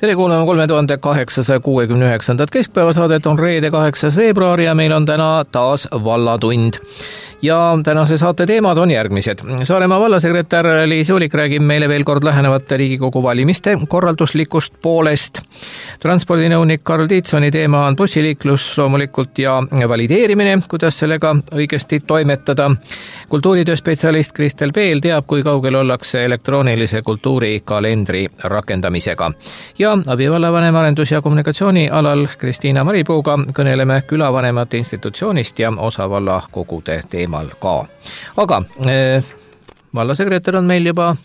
Tere kuulama 3869. keskpäevasaadet on reede 8. veebruar ja meil on täna taas vallatund. Ja tänase saate teemad on järgmised. Saaremaa vallasekretär Liis Uulik räägib meile veel kord lähenevate Riigikogu valimiste korralduslikust poolest. Transpordinõunik Karl Tiitsoni teema on bussiliiklus loomulikult ja valideerimine, kuidas sellega õigesti toimetada. Kultuuritööspetsialist Kristel Peel teab, kui kaugel ollakse elektroonilise kultuurikalendri rakendamisega. Ja abivallavanem arendus- ja kommunikatsiooni alal Kristiina Maripuuga kõneleme külavanemate institutsioonist ja osavalla kogude teemal ka. Aga vallasekretär on meil juba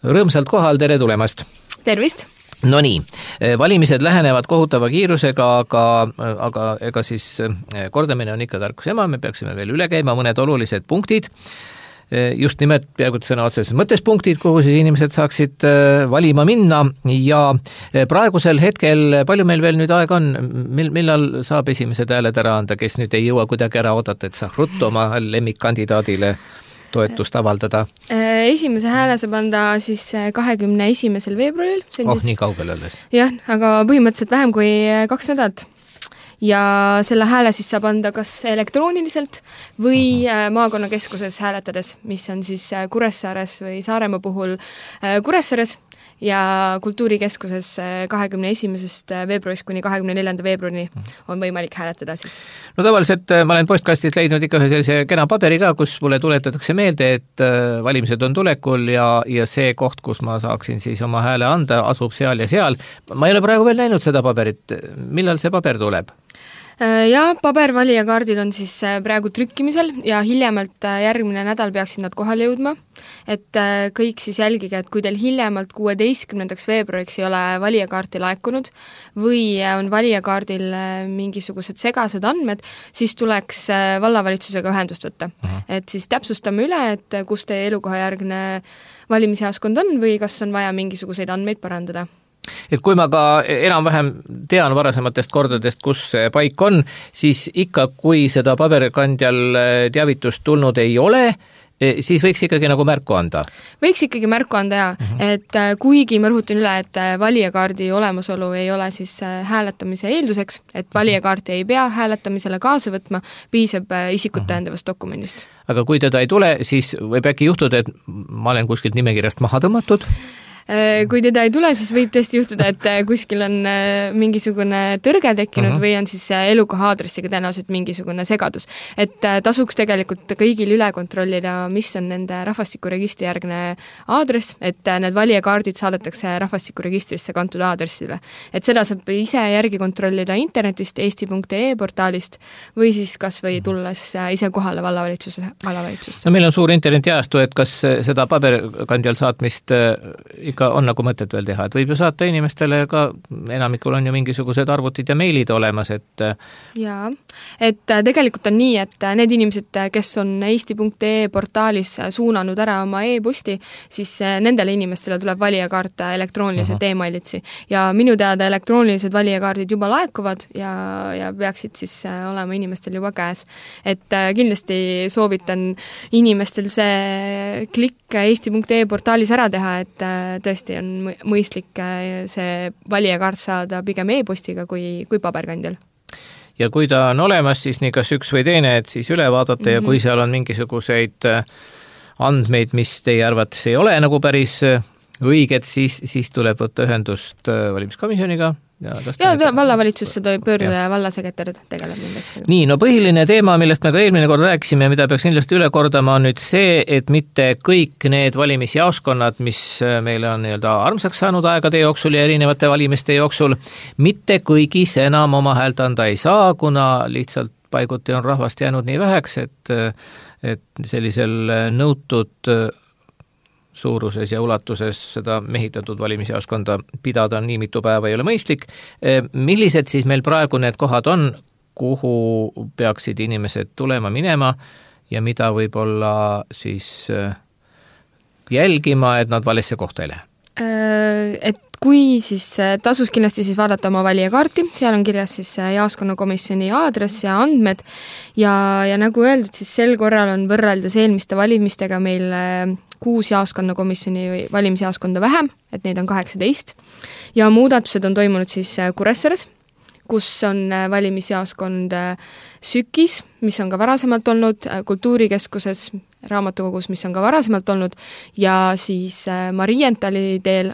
rõõmsalt kohal, tere tulemast! Tervist! No nii, valimised lähenevad kohutava kiirusega, aga ega siis kordamine on ikka tarkus ema, me peaksime veel üle käima mõned olulised punktid. Just nimelt peaaegu sõna otseses mõttes punktid, kuhu siis inimesed saaksid valima minna ja praegusel hetkel, palju meil veel nüüd aega on, millal saab esimesed hääled ära anda, kes nüüd ei jõua kuidagi ära oodata, et saab ruttu oma lemmikkandidaadile toetust avaldada? Esimese hääle saab anda siis 21. veebruaril. Nii kaugel alles. Jah, aga põhimõtteliselt vähem kui 2 nädalat. Ja selle hääle siis saab anda kas elektrooniliselt või maakonnakeskuses hääletades, mis on siis Kuressaares või Saaremaa puhul Kuressaares ja kultuurikeskuses 21. veebruarist kuni 24. veebruarini on võimalik hääletada siis. No tavaliselt ma olen postkastist leidnud ikka ühe sellise kena paberi ka, kus mulle tuletatakse meelde, et valimised on tulekul ja see koht, kus ma saaksin siis oma hääle anda, asub seal ja seal. Ma ei ole praegu veel näinud seda paberit. Millal see paber tuleb? Ja pabervalijakaardid on siis praegu trükkimisel ja hiljemalt järgmine nädal peaksid nad kohale jõudma, et kõik siis jälgige, et kui teil hiljemalt 16. veebruariks ei ole valijakaarti laekunud või on valijakaardil mingisugused segased andmed, siis tuleks vallavalitsusega ühendust võtta. Et siis täpsustame üle, et kus teie elukohajärgne valimisjaoskond on või kas on vaja mingisuguseid andmeid parandada. Et kui ma ka enam-vähem tean varasematest kordadest, kus see paik on, siis ikka, kui seda paberkandjal teavitust tulnud ei ole, siis võiks ikkagi nagu märku anda? Võiks ikkagi märku anda, jaa. Et kuigi ma rõhutan üle, et valijakaardi olemasolu ei ole siis hääletamise eelduseks, et valijakaarti ei pea hääletamisele kaasa võtma, piisab isikut tõendavast dokumendist. Aga kui teda ei tule, siis võib äkki juhtuda, et ma olen kuskilt nimekirjast maha tõmmatud? Kui teda ei tule, siis võib tõesti juhtuda, et kuskil on mingisugune tõrge tekkinud või on siis elukoha aadressiga tõenäoliselt mingisugune segadus. Et tasuks tegelikult kõigil üle kontrollida, mis on nende rahvastikuregistri järgne aadress, et need valijakaardid saadetakse rahvastikuregistrisse kantud aadressile. Et seda saab ise järgi kontrollida internetist, eesti.ee portaalist või siis kas või tulles ise kohale vallavalitsusse. No meil on suur internetiajastu, et kas seda paberkandjal saatmist ikka on nagu mõtet veel teha, et võib ju saata inimestele ka, enamikul on ju mingisugused arvutid ja meilid olemas, et jaa, et tegelikult on nii, et need inimesed, kes on eesti.ee portaalis suunanud ära oma e-posti, siis nendele inimestele tuleb valijakaart elektrooniliselt e-mailitsi ja minu teada elektroonilised valijakaardid juba laekuvad ja peaksid siis olema inimestel juba käes. Et kindlasti soovitan inimestel see klikk eesti.ee portaalis ära teha, et tõesti on mõistlik see valijakaart saada pigem e-postiga kui paberkandjal. Ja kui ta on olemas, siis nii kas üks või teine, et siis üle vaadata ja kui seal on mingisuguseid andmeid, mis teie arvates ei ole nagu päris õiged, siis tuleb võtta ühendust valimiskomisjoniga. Vallavalitsusse pöörduda ja vallasekretär tegeleb nendesse. Nii, no põhiline teema, millest me ka eelmine kord rääkisime, mida peaks kindlasti üle kordama, on nüüd see, et mitte kõik need valimisjaoskonnad, mis meile on armsaks saanud aegade jooksul ja erinevate valimiste jooksul, mitte kõigis enam oma häält anda ei saa, kuna lihtsalt paiguti on rahvast jäänud nii väheks, et sellisel nõutud suuruses ja ulatuses seda mehitatud valimisjaoskonda pidada nii mitu päeva ei ole mõistlik. Millised siis meil praegu need kohad on, kuhu peaksid inimesed tulema minema ja mida võib-olla siis jälgima, et nad valesse kohta ei lähe? Et kui siis tasus kindlasti siis vaadata oma valijakaarti, seal on kirjas siis jaoskonnakomisjoni aadress ja andmed ja nagu öeldud, siis sel korral on võrreldes eelmiste valimistega meil 6 jaoskonnakomisjoni või valimisjaoskonda vähem, et neid on 18 ja muudatused on toimunud siis Kuressaares, kus on valimisjaoskond Sükis, mis on ka varasemalt olnud, Kultuurikeskuses, Raamatukogus, mis on ka varasemalt olnud ja siis Marientali teel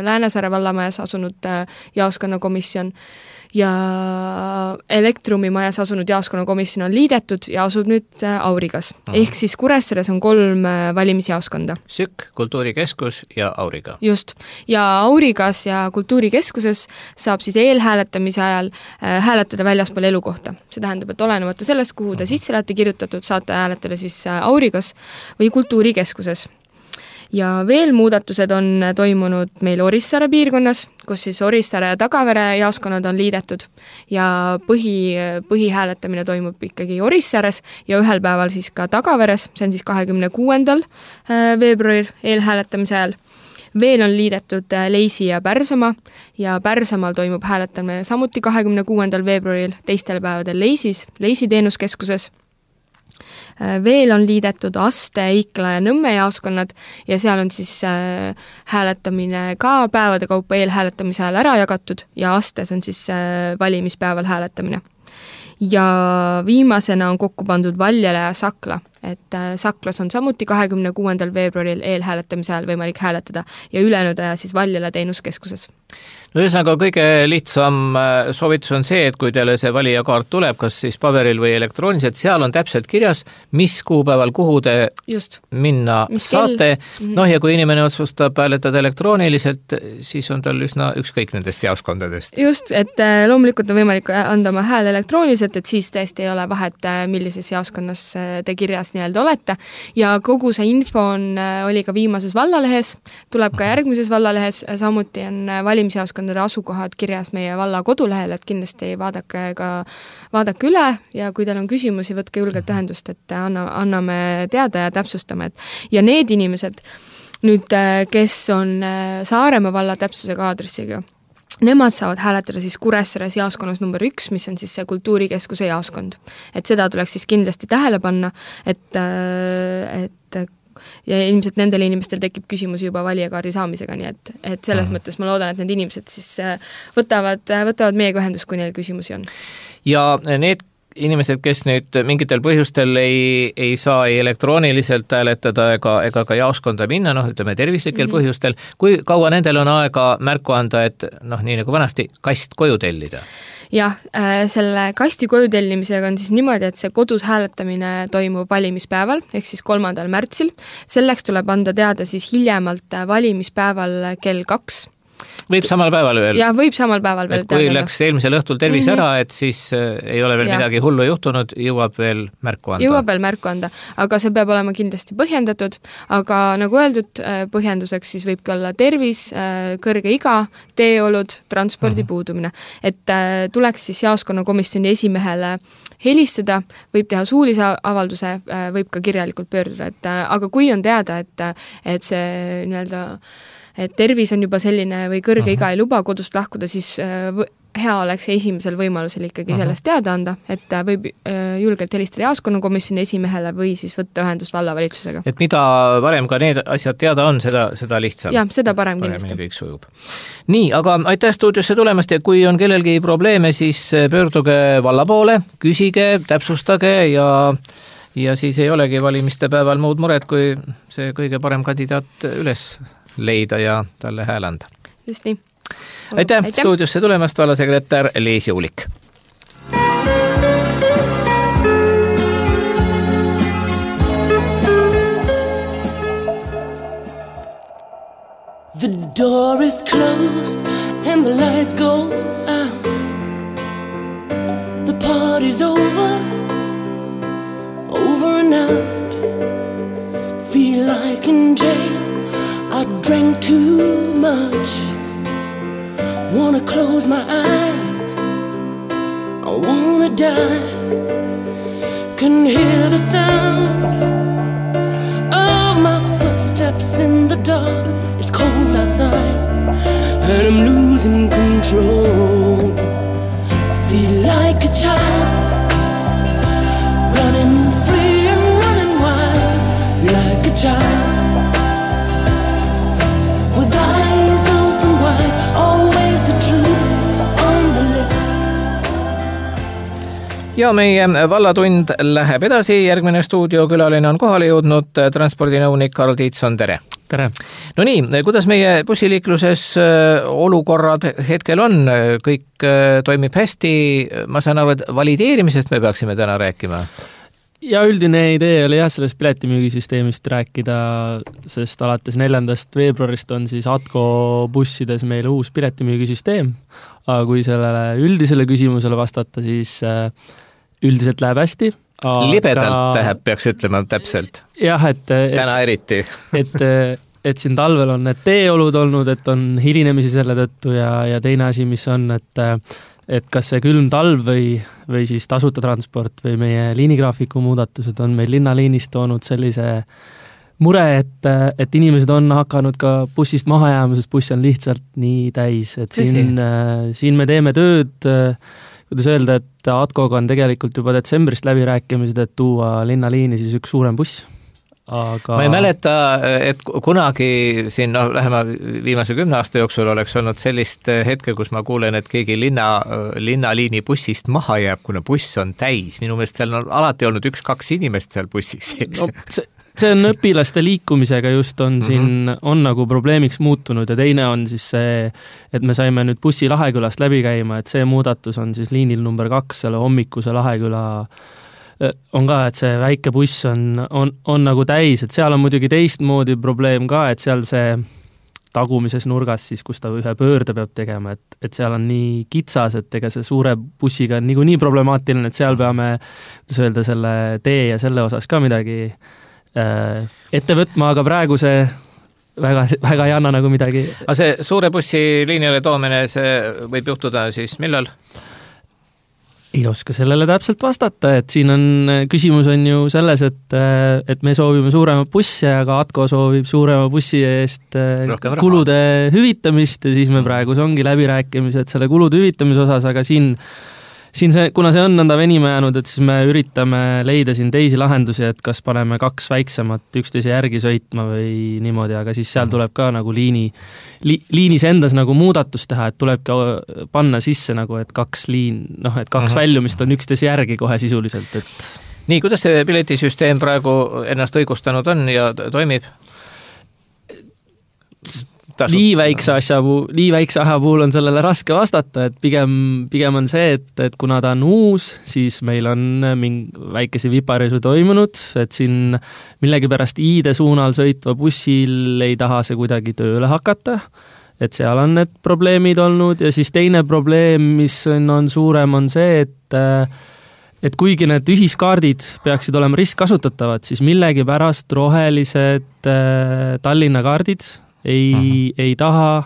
Läänesaare vallamajas asunud jaoskonnakomisjon ja Elektrumi majas asunud jaoskonnakomisjon on liidetud ja asub nüüd Aurigas. Ehk siis Kuressaares on 3 valimisjaoskonda. Sükk, Kultuurikeskus ja Auriga. Just. Ja Aurigas ja Kultuurikeskuses saab siis eelhääletamise ajal hääletada väljaspool elukohta. See tähendab, et olenemata sellest, kuhu te sisse olete kirjutatud, saate hääletada siis Aurigas või Kultuurikeskuses. Ja veel muudatused on toimunud meil Orissaare piirkonnas, kus siis Orissaare ja Tagavere jaoskonnad on liidetud ja põhihääletamine toimub ikkagi Orissaares ja ühel päeval siis ka Tagaveres, see on siis 26. veebruaril eelhääletamise ajal. Veel on liidetud Leisi ja Pärsamaa ja Pärsamaal toimub hääletamine samuti 26. veebruaril, teistel päevadel Leisi teenuskeskuses. Veel on liidetud Aste, Ikla ja Nõmme jaoskonnad ja seal on siis hääletamine ka päevade kaupa eelhääletamise ajal ära jagatud ja Astes on siis valimispäeval hääletamine. Ja viimasena on kokku pandud Valjala ja Sakla, et Saklas on samuti 26. veebruaril eelhääletamise ajal võimalik hääletada ja ülejäänud aja siis Valjala teenuskeskuses. No ühesõnaga kõige lihtsam soovitus on see, et kui teile see valijakaart tuleb, kas siis paberil või elektrooniliselt, seal on täpselt kirjas, mis kuupäeval, kuhu te minna saate. No ja kui inimene otsustab hääletada elektrooniliselt, siis on tal üsna ükskõik nendest jaoskondadest. Just, et loomulikult on võimalik anda oma hääl elektrooniliselt, et siis tõesti ei ole vahet, millises jaoskonnas te kirjas nii-öelda olete. Ja kogu see info oli ka viimases vallalehes, tuleb ka järgmises vallalehes, samuti on valimisjaoskondade asukohad kirjas meie valla kodulehel, et kindlasti vaadake üle ja kui teil on küsimusi, võtke julgelt ühendust, et anname teada ja täpsustame. Ja need inimesed, nüüd, kes on Saaremaa valla täpsusega aadressiga, nemad saavad hääletada siis Kuressaares jaoskonnas number 1, mis on siis see Kultuurikeskuse jaoskond. Et seda tuleks siis kindlasti tähele panna, et ja ilmselt nendel inimestel tekib küsimusi juba valijakaardi saamisega, nii et selles mõttes ma loodan, et need inimesed siis võtavad meiega ühendust, kui neil küsimusi on. Ja need inimesed, kes nüüd mingitel põhjustel ei saa elektrooniliselt hääletada ega ka jaoskonda minna, ütleme tervislikel põhjustel, kui kaua nendel on aega märku anda, et nii nagu vanasti kast koju tellida? Jah, selle kasti koju tellimisega on siis niimoodi, et see kodus hääletamine toimub valimispäeval, ehk siis 3. märtsil. Selleks tuleb anda teada siis hiljemalt valimispäeval kell 2. Võib samal päeval veel? Jah, võib samal päeval veel teada. Kui läks eelmisel õhtul tervis ära, et siis ei ole veel midagi hullu juhtunud, jõuab veel märku anda. Aga see peab olema kindlasti põhjendatud, aga nagu öeldud, põhjenduseks siis võibki olla tervis, kõrge iga, teeolud, transpordi puudumine. Et tuleks siis jaoskonnakomisjoni esimehele helistada, võib teha suulise avalduse, võib ka kirjalikult pöörduda, aga kui on teada, et see nii-öelda et tervis on juba selline või kõrge iga ei luba kodust lahkuda, siis hea oleks esimesel võimalusel ikkagi sellest teada anda, et võib julgelt helistada jaoskonnakomisjoni esimehele või siis võtta ühendust vallavalitsusega. Et mida varem ka need asjad teada on, seda lihtsam. Jah, seda parem kindlasti. Kõik sujub. Nii, aga aitäh stuudiosse tulemast ja kui on kellelgi probleeme, siis pöörduge valla poole, küsige, täpsustage ja siis ei olegi valimiste päeval muud mured, kui see kõige parem kandidaat üles leida ja talle hääl anda. Just nii. Aitäh stuudiosse tulemast, vallasekretär Leesi Ulik. The door is closed and the lights go out. The party's over and out. Feel like in jail, I drank too much. Wanna close my eyes, I wanna die. Can hear the sound of my footsteps in the dark. It's cold outside. and I'm losing control. Feel like a child, running free and running wild, like a child, with eyes open wide, always the truth on the lips. Ja meie vallatund läheb edasi, järgmine stuudiokülaline on kohale jõudnud transpordinõunik Karl Tiitson, tere! Tere! No nii, kuidas meie bussiliikluses olukorrad hetkel on? Kõik toimib hästi, ma saan aru, et valideerimisest me peaksime täna rääkima? Ja üldine idee oli sellest piletimüügisüsteemist rääkida, sest alates 4. veebruarist on siis Atko bussides meil uus piletimüügisüsteem, aga kui sellele üldisele küsimusele vastata, siis üldiselt läheb hästi. Libedalt läheb, peaks ütlema täpselt. Jah, täna eriti. et siin talvel on need teeolud olnud, et on hilinemisi selle tõttu ja teine asi, mis on, et kas see külm talv või siis tasuta transport või meie liinigraafiku muudatused on meil linnaliinis toonud sellise mure, et inimesed on hakanud ka bussist maha jääma, sest buss on lihtsalt nii täis. Et siin me teeme tööd, kuidas öelda, et Atkoga on tegelikult juba detsembrist läbirääkimised, et tuua linnaliini siis üks suurem buss. Aga... Ma ei mäleta, et kunagi siin lähema viimase 10 aasta jooksul oleks olnud sellist hetke, kus ma kuulen, et keegi linnaliini bussist maha jääb, kuna buss on täis. Minu meelest seal on alati olnud 1-2 inimest seal bussis. No, see on õpilaste liikumisega just on siin on nagu probleemiks muutunud ja teine on siis see, et me saime nüüd bussi Lahekülast läbi käima, et see muudatus on siis liinil number 2, selle hommikuse Laheküla on ka, et see väike buss on nagu täis, et seal on muidugi teistmoodi probleem ka, et seal see tagumises nurgas siis, kus ta ühe pöörde peab tegema, et seal on nii kitsas, et ega see suure bussiga on nii problemaatiline, et seal peame öelda selle tee ja selle osas ka midagi ette võtma, aga praegu see väga ei anna nagu midagi. Aga see suure bussi liinile toomine, see võib juhtuda siis millal? Ei oska sellele täpselt vastata, et siin on, küsimus on ju selles, et me soovime suurema bussi, aga Atko soovib suurema bussi eest kulude hüvitamist ja siis me praegu ongi läbirääkimised selle kulude hüvitamise osas, aga siin see, kuna see on nõnda venima jäänud, et siis me üritame leida siin teisi lahendusi, et kas paneme 2 väiksemat üksteise järgi sõitma või niimoodi, aga siis seal tuleb ka nagu liinis endas nagu muudatus teha, et tuleb ka panna sisse nagu, et 2 väljumist on üksteise järgi kohe sisuliselt. Nii, kuidas see piletisüsteem praegu ennast õigustanud on ja toimib? Nii väikse asja puhul on sellele raske vastata, et pigem on see, et kuna ta on uus, siis meil on väikese viparisu toimunud, et siin millegipärast Iide suunal sõitva bussil ei taha see kuidagi tööle hakata, et seal on need probleemid olnud ja siis teine probleem, mis on suurem, on see, et kuigi need ühiskaardid peaksid olema ristkasutatavad, siis millegipärast rohelised Tallinna kaardid ei taha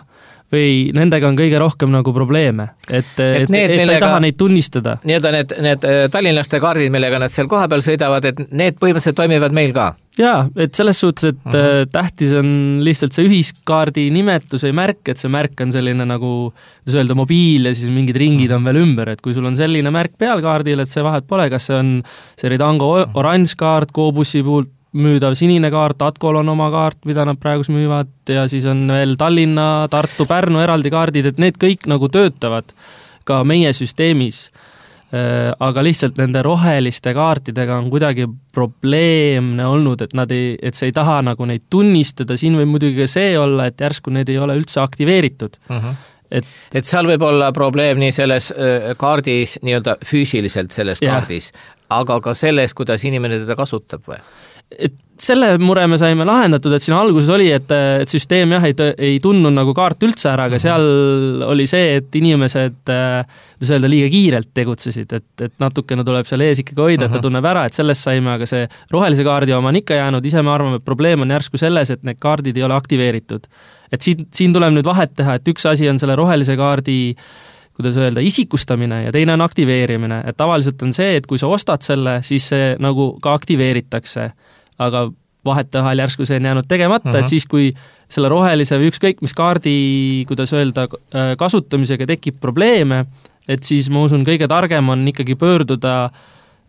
või nendega on kõige rohkem nagu probleeme, et ei taha neid tunnistada. Need tallinlaste kaardid, millega nad seal koha peal sõidavad, et need põhimõtteliselt toimivad meil ka? Jaa, et selles suhtes, et tähtis on lihtsalt see ühiskaardi nimetus või märk, et see märk on selline nagu, kuidas öelda, mobiil ja siis mingid ringid on veel ümber, et kui sul on selline märk peal kaardil, et see vahet pole, kas see on see Ridango oranž kaart, Go-bussi puhul müüdav sinine kaart, Atkol on oma kaart, mida nad praegus müüvad ja siis on veel Tallinna, Tartu, Pärnu eraldi kaardid, et need kõik nagu töötavad ka meie süsteemis. Aga lihtsalt nende roheliste kaartidega on kuidagi probleemne olnud, et see ei taha nagu neid tunnistada, siin võib muidugi see olla, et järsku need ei ole üldse aktiveeritud. Et seal võib olla probleem nii selles kaardis, nii-öelda füüsiliselt selles kaardis, aga ka selles, kuidas inimene teda kasutab või? Et selle mure me saime lahendatud, et siin alguses oli, et süsteem ei tunnud nagu kaart üldse ära, aga seal oli see, et inimesed liiga kiirelt tegutsesid, et natukene tuleb seal ees ikkagi hoida, et ta tunneb ära, et sellest saime, aga see rohelise kaardi oma on ikka jäänud, ise me arvame, et probleem on järsku selles, et need kaardid ei ole aktiveeritud. Et siin tuleb nüüd vahet teha, et üks asi on selle rohelise kaardi kuidas öelda, isikustamine ja teine on aktiveerimine. Et tavaliselt on see, et kui sa ostad selle, siis see nagu ka aktiveeritakse. Aga vahetevahel järsku see on jäänud tegemata, et siis kui selle rohelise või ükskõik mis kaardi, kuidas öelda, kasutamisega tekib probleeme, et siis ma usun, kõige targem on ikkagi pöörduda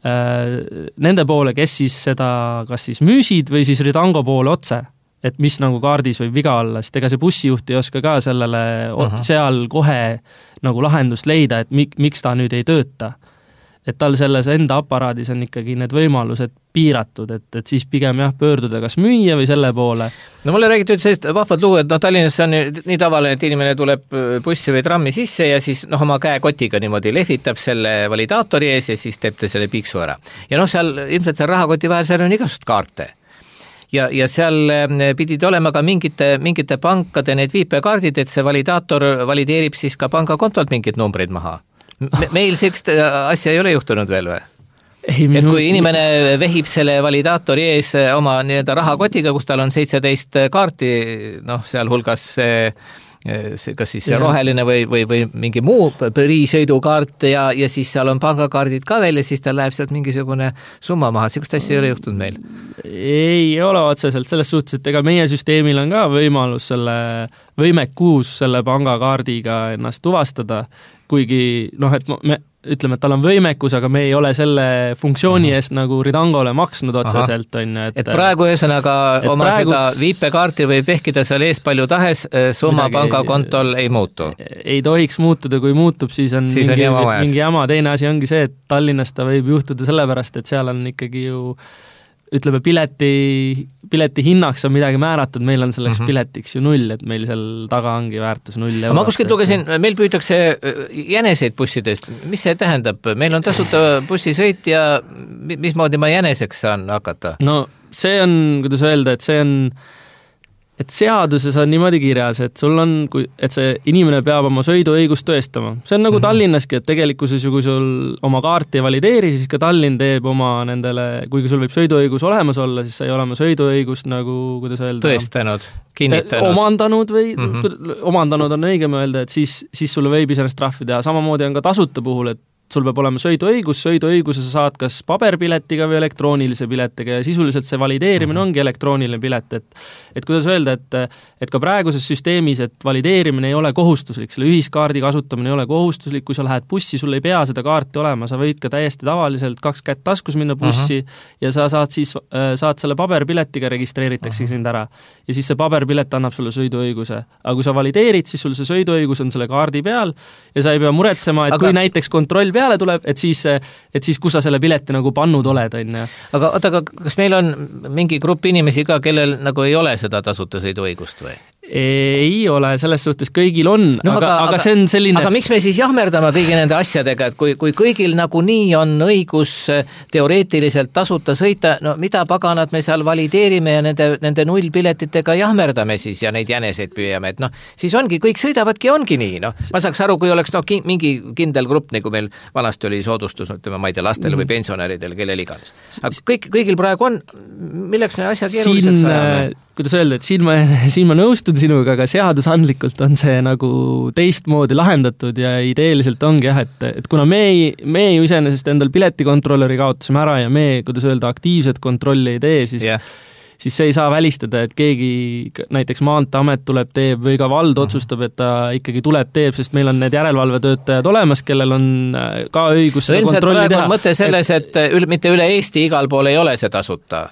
nende poole, kes siis seda kas siis müüsid või siis Ridango poole otse, et mis nagu kaardis võib viga olla, sest ega see bussijuht ei oska ka sellele seal kohe nagu lahendust leida, et miks ta nüüd ei tööta. Et tal selles enda aparaadis on ikkagi need võimalused piiratud, et siis pigem pöörduda kas müüa või selle poole. No mulle räägiti sellist vahvad lugu, et Tallinnas on nii tavaline, et inimene tuleb bussi või trammi sisse ja siis oma käekotiga niimoodi lehvitab selle validaatori ees ja siis teeb ta selle piiksu ära. Ja seal ilmselt seal rahakoti vahel seal on igasugust kaarte. Ja seal pidid olema ka mingite pankade need viipekaardid, et see validaator valideerib siis ka pangakontolt mingid numbrid maha. Meil sellist asja ei ole juhtunud veel või? Et kui inimene vehib selle validaatori ees oma rahakotiga, kus tal on 17 kaarti, seal hulgas kas siis see roheline või mingi muu põrisõidukaart ja siis seal on pangakaardid ka veel ja siis tal läheb sealt mingisugune summa maha. Sellist asja ei ole juhtunud meil? Ei ole otseselt, selles suhtes, et ega meie süsteemil on ka võimalus võimekuus selle pangakaardiga ennast tuvastada, kuigi et me ütleme, et tal on võimekus, aga me ei ole selle funktsiooni eest nagu Ridangole maksnud otseselt. Et praegu ühesõnaga oma seda viipekaarti võib vehkida seal ees palju tahes, summa pangakontol ei muutu? Ei tohiks muutuda, kui muutub, siis on mingi jama. Teine asi ongi see, et Tallinnas ta võib juhtuda sellepärast, et seal on ikkagi ju ütleme, pileti hinnaks on midagi määratud, meil on selleks piletiks ju 0, et meil seal taga ongi väärtus 0 eurot. Ma kuskilt lugesin, meil püütakse jäneseid bussidest. Mis see tähendab? Meil on tasuta bussisõit ja mismoodi ma jäneseks saan hakata? No see on, kuidas öelda, et seaduses on niimoodi kirjas, et sul on, et see inimene peab oma sõiduõigust tõestama. See on nagu Tallinnaski, et tegelikkuses ju kui sul oma kaarti ei valideeri, siis ka Tallinn teeb oma nendele, kuigi sul võib sõiduõigus olemas olla, siis sa ei ole oma sõiduõigust nagu, kuidas öelda, tõestanud, kinnitanud. Omandanud või omandanud on õigem öelda, et siis sulle võib iseenesest trahvi teha. Samamoodi on ka tasuta puhul, et sul peab olema sõiduõiguse sa saad kas paberpiletiga või elektroonilise piletiga ja sisuliselt see valideerimine ongi elektrooniline pilet, et kuidas öelda, et ka praeguses süsteemis, et valideerimine ei ole kohustuslik, selle ühiskaardi kasutamine ei ole kohustuslik, kui sa lähed bussi, sul ei pea seda kaarti olema, sa võid ka täiesti tavaliselt 2 kätt taskus minna bussi ja sa saad selle paberpiletiga registreeritakse sind ära ja siis see paberpilet annab sulle sõiduõiguse, aga kui sa valideerid, siis sul see sõiduõigus on selle kaardi peal ja sa ei pea muretsema, et kui näiteks kontroll peale tuleb, et siis kus sa selle pileti nagu pannud oled, on ju. Aga kas meil on mingi grupp inimesi ka, kellel nagu ei ole seda tasuta sõiduõigust või? Ei ole, selles suhtes kõigil on, aga see on selline... Aga miks me siis jahmerdame kõigi nende asjadega, et kui kõigil nagu nii on õigus teoreetiliselt tasuta sõita, no mida paganad me seal valideerime ja nende nullpiletitega jahmerdame siis ja neid jäneseid püüame, et siis ongi, kõik sõidavadki, ongi nii, ma saaks aru, kui oleks mingi kindel grupp, nagu meil vanasti oli soodustus, ma ei tea, lastele või pensionäridele, kellel iganes. Aga kõigil praegu on, milleks me asja keeruliseks ajame? Kuidas öelda, et siin ma nõustun sinuga, aga seadusandlikult on see nagu teistmoodi lahendatud ja ideeliselt ongi et kuna me ju iseenesest endal piletikontrolleri kaotasime ära ja me, kuidas öelda, aktiivset kontrolli ei tee, siis see ei saa välistada, et keegi näiteks Maanteeamet tuleb teeb või ka vald otsustab, et ta ikkagi tuleb teeb, sest meil on need järelevalvetöötajad olemas, kellel on ka õigus seda kontrolli teha. Mõte selles, et mitte üle Eesti igal pool ei ole see tasuta,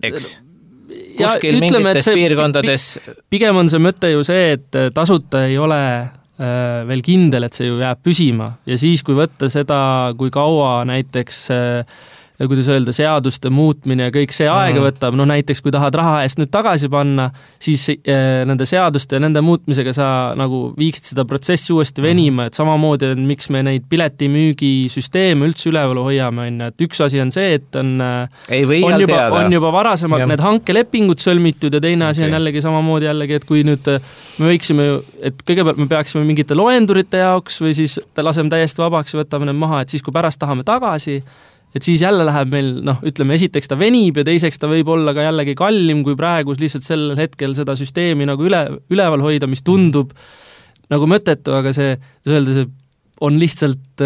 eks? Kuskil mingites piirkondades. Pigem on see mõte ju see, et tasuta ei ole veel kindel, et see ju jääb püsima ja siis, kui võtta seda, kui kaua näiteks kuidas öelda, seaduste muutmine ja kõik see aega võtab, näiteks kui tahad raha eest nüüd tagasi panna, siis nende seaduste ja nende muutmisega sa nagu viiksid seda protsessi uuesti venima, et samamoodi on, miks me neid piletimüügisüsteeme üldse üleval hoiame, et üks asi on see, et on juba varasemalt need hankelepingud sõlmitud ja teine asi on jällegi samamoodi et kui nüüd me võiksime, et kõigepealt me peaksime mingite loendurite jaoks või siis laseme täiesti vabaks ja võtame need maha, et siis kui pärast tahame tagasi, et siis jälle läheb meil, ütleme, esiteks ta venib ja teiseks ta võib olla ka jällegi kallim, kui praegu lihtsalt sellel hetkel seda süsteemi nagu üleval hoida, mis tundub nagu mõttetu, aga see on lihtsalt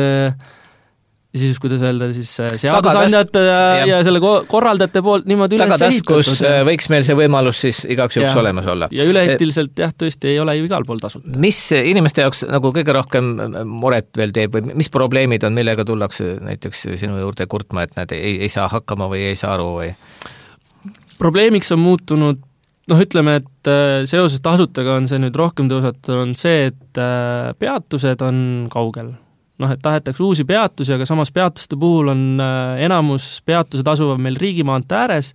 siis kuidas öelda, siis seadusandjate ja selle korraldajate poolt niimoodi üles tagataskus võiks meil see võimalus siis igaks juhuks olemas olla. Ja üle-eestiliselt tõesti ei ole ju igal pool tasuta. Mis inimeste jaoks nagu kõige rohkem muret veel teeb või mis probleemid on, millega tullakse näiteks sinu juurde kurtma, et nad ei saa hakkama või ei saa aru või? Probleemiks on muutunud ütleme, et seoses tasutaga on see nüüd rohkem tõusetunud see, et peatused on kaugel. Et tahetakse uusi peatusi, aga samas peatuste puhul on enamus peatused asuvad meil riigimaante ääres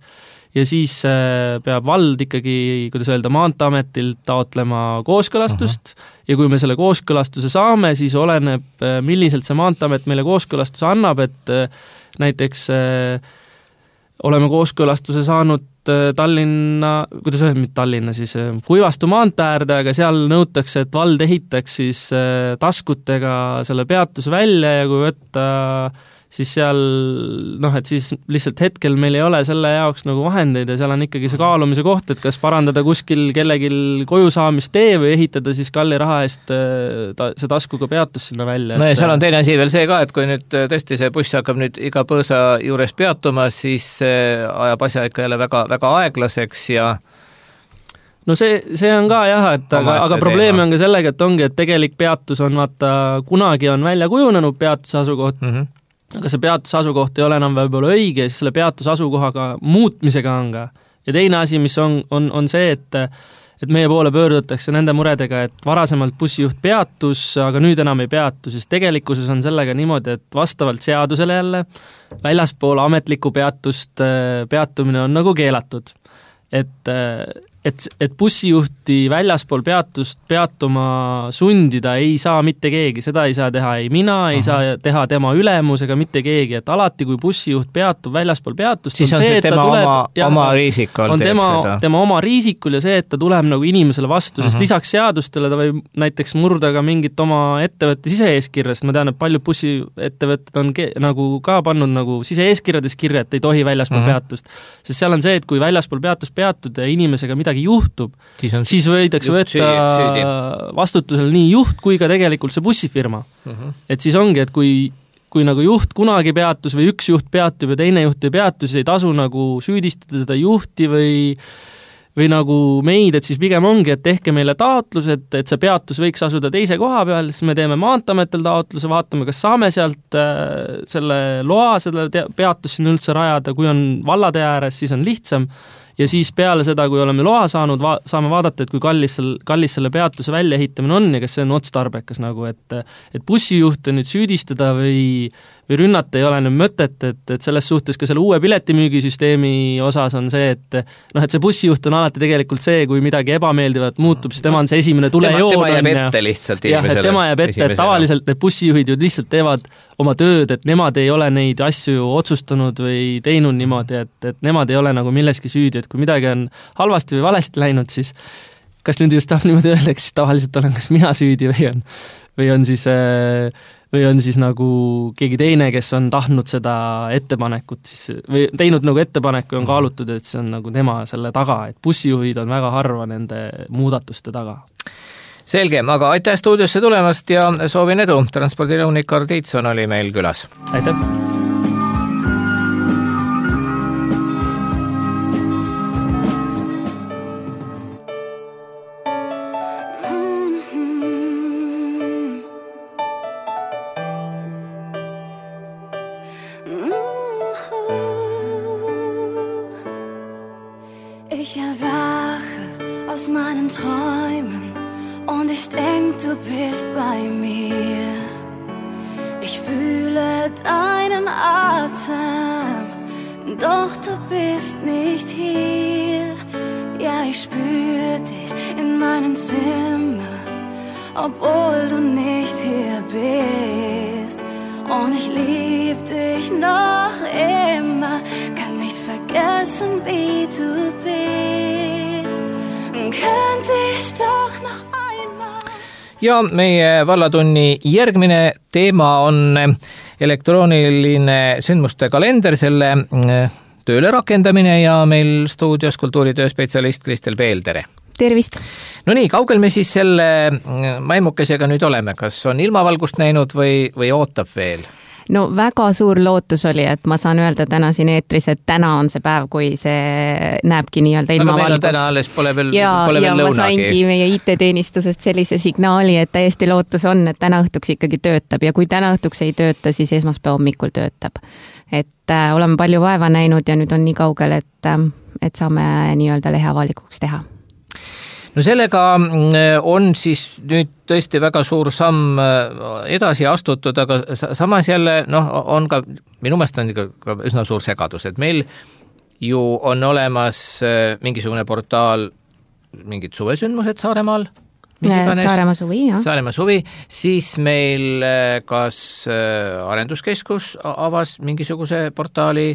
ja siis peab vald ikkagi, kuidas öelda, Maanteeametilt taotlema kooskõlastust ja kui me selle kooskõlastuse saame, siis oleneb, milliselt see Maanteeamet meile kooskõlastuse annab, et näiteks oleme kooskõlastuse saanud Tallinna, kuidas öelda, mitte Tallinna, siis Kuivastu maantee äärde, aga seal nõutakse, et vald ehitaks siis taskutega selle peatuse välja ja kui võtta siis seal, et siis lihtsalt hetkel meil ei ole selle jaoks nagu vahendeid ja seal on ikkagi see kaalumise koht, et kas parandada kuskil kellegil koju saamist tee või ehitada siis kalli raha eest see taskuga peatus sinna välja. No ja seal on teine asi veel see ka, et kui nüüd tõesti see buss hakkab nüüd iga põõsa juures peatuma, siis ajab asja ikka jälle väga, väga aeglaseks ja no see on ka jah, et aga probleem on ka sellega, et ongi, et tegelik peatus on vaata, kunagi on välja kujunenud peatuse asukoht, aga see peatuse asukoht ei ole enam võib-olla õige ja siis selle peatuse asukohaga muutmisega on ka. Ja teine asi, mis on see, et meie poole pöördutakse nende muredega, et varasemalt bussijuht peatus, aga nüüd enam ei peatu, siis tegelikkuses on sellega niimoodi, et vastavalt seadusele jälle väljaspool ametlikku peatust peatumine on nagu keelatud. Et bussijuhti väljaspool peatust peatuma sundida ei saa mitte keegi, seda ei saa teha ei mina, ei saa teha tema ülemus ega mitte keegi, et alati kui bussijuht peatub väljaspool peatust, siis on see, et tema oma riisikul on tema oma riisikul ja see, et ta tuleb nagu inimesele vastu, sest lisaks seadustele ta võib näiteks murda ka mingit oma ettevõtte sise-eeskirja, sest ma tean, et paljud bussiettevõtted on nagu ka pannud nagu sise-eeskirjades kirja, et ei tohi väljaspool peatust, sest seal on see, et kui väljaspool peatust peatud ja inimesega midagi juhtub, siis võidakse võtta vastutusel nii juht kui ka tegelikult see bussifirma. Et siis ongi, et kui nagu juht kunagi peatus või üks juht peatub ja teine juht ei peatu, siis ei tasu nagu süüdistada seda juhti või nagu meid, et siis pigem ongi, et tehke meile taotlus, et see peatus võiks asuda teise koha peal, siis me teeme Maanteeametil taotluse, vaatame, kas saame sealt selle loa, selle peatus sinna üldse rajada, kui on vallatee ääres, siis on lihtsam. Ja siis peale seda, kui oleme loa saanud, saame vaadata, et kui kallis selle peatuse väljaehitamine on ja kas see on otstarbekas nagu, et bussijuhte nüüd süüdistada või rünnata ei ole nüüd mõtet, et selles suhtes ka selle uue piletimüügisüsteemi osas on see, et see bussijuht on alati tegelikult see, kui midagi ebameeldivat muutub, siis tema on see esimene tulejoon. Tema jääb ette lihtsalt inimesele. Jah, et tema jääb ette, et tavaliselt need bussijuhid ju lihtsalt teevad oma tööd, et nemad ei ole neid asju otsustanud või teinud niimoodi, et nemad ei ole nagu milleski süüdi, et kui midagi on halvasti või valesti läinud, siis kas nüüd just tahab niimoodi öelda, siis tavaliselt olen kas mina süüdi või on siis nagu keegi teine, kes on tahtnud seda ettepanekut siis, või teinud nagu ettepaneku ja on kaalutud, et see on nagu tema selle taga, et bussijuhid on väga harva nende muudatuste taga. Selge, aga aitäh stuudiosse tulemast ja soovin edu. Transpordinõunik Karl Tiitson oli meil külas. Aitäh! Ich erwache aus meinen Träumen und ich denk, du bist bei mir. Ich fühle deinen Atem, doch du bist nicht hier. Ja, ich spür dich in meinem Zimmer, obwohl du nicht hier bist. Und ich lieb dich noch immer, kann nicht vergessen, wie du bist. Könnte ich doch noch einmal. Ja meie vallatunni järgmine teema on elektrooniline sündmuste kalender, selle tööle rakendamine ja meil stuudios kultuuritööspetsialist Kristel Peel, tere! Tervist! No nii, kaugel me siis selle maimukesega nüüd oleme? Kas on ilmavalgust näinud või ootab veel? No väga suur lootus oli, et ma saan öelda täna siin eetris, et täna on see päev, kui see näebki nii-öelda ilma aga meil on valgust. täna alles pole veel ja lõunagi. Ma saingi meie IT-teenistusest sellise signaali, et täiesti lootus on, et täna õhtuks ikkagi töötab ja kui täna õhtuks ei tööta, siis esmaspäeva hommikul töötab. Et oleme palju vaeva näinud ja nüüd on nii kaugel, et saame nii-öelda lehe avalikuks teha. No sellega on siis nüüd tõesti väga suur samm edasi astutud, aga samas jälle on ka, minu meelest on ka üsna suur segadus, et meil ju on olemas mingisugune portaal, mingid suvesündmused Saaremaal, Saaremaa suvi, jah. Saaremaa suvi, siis meil kas arenduskeskus avas mingisuguse portaali.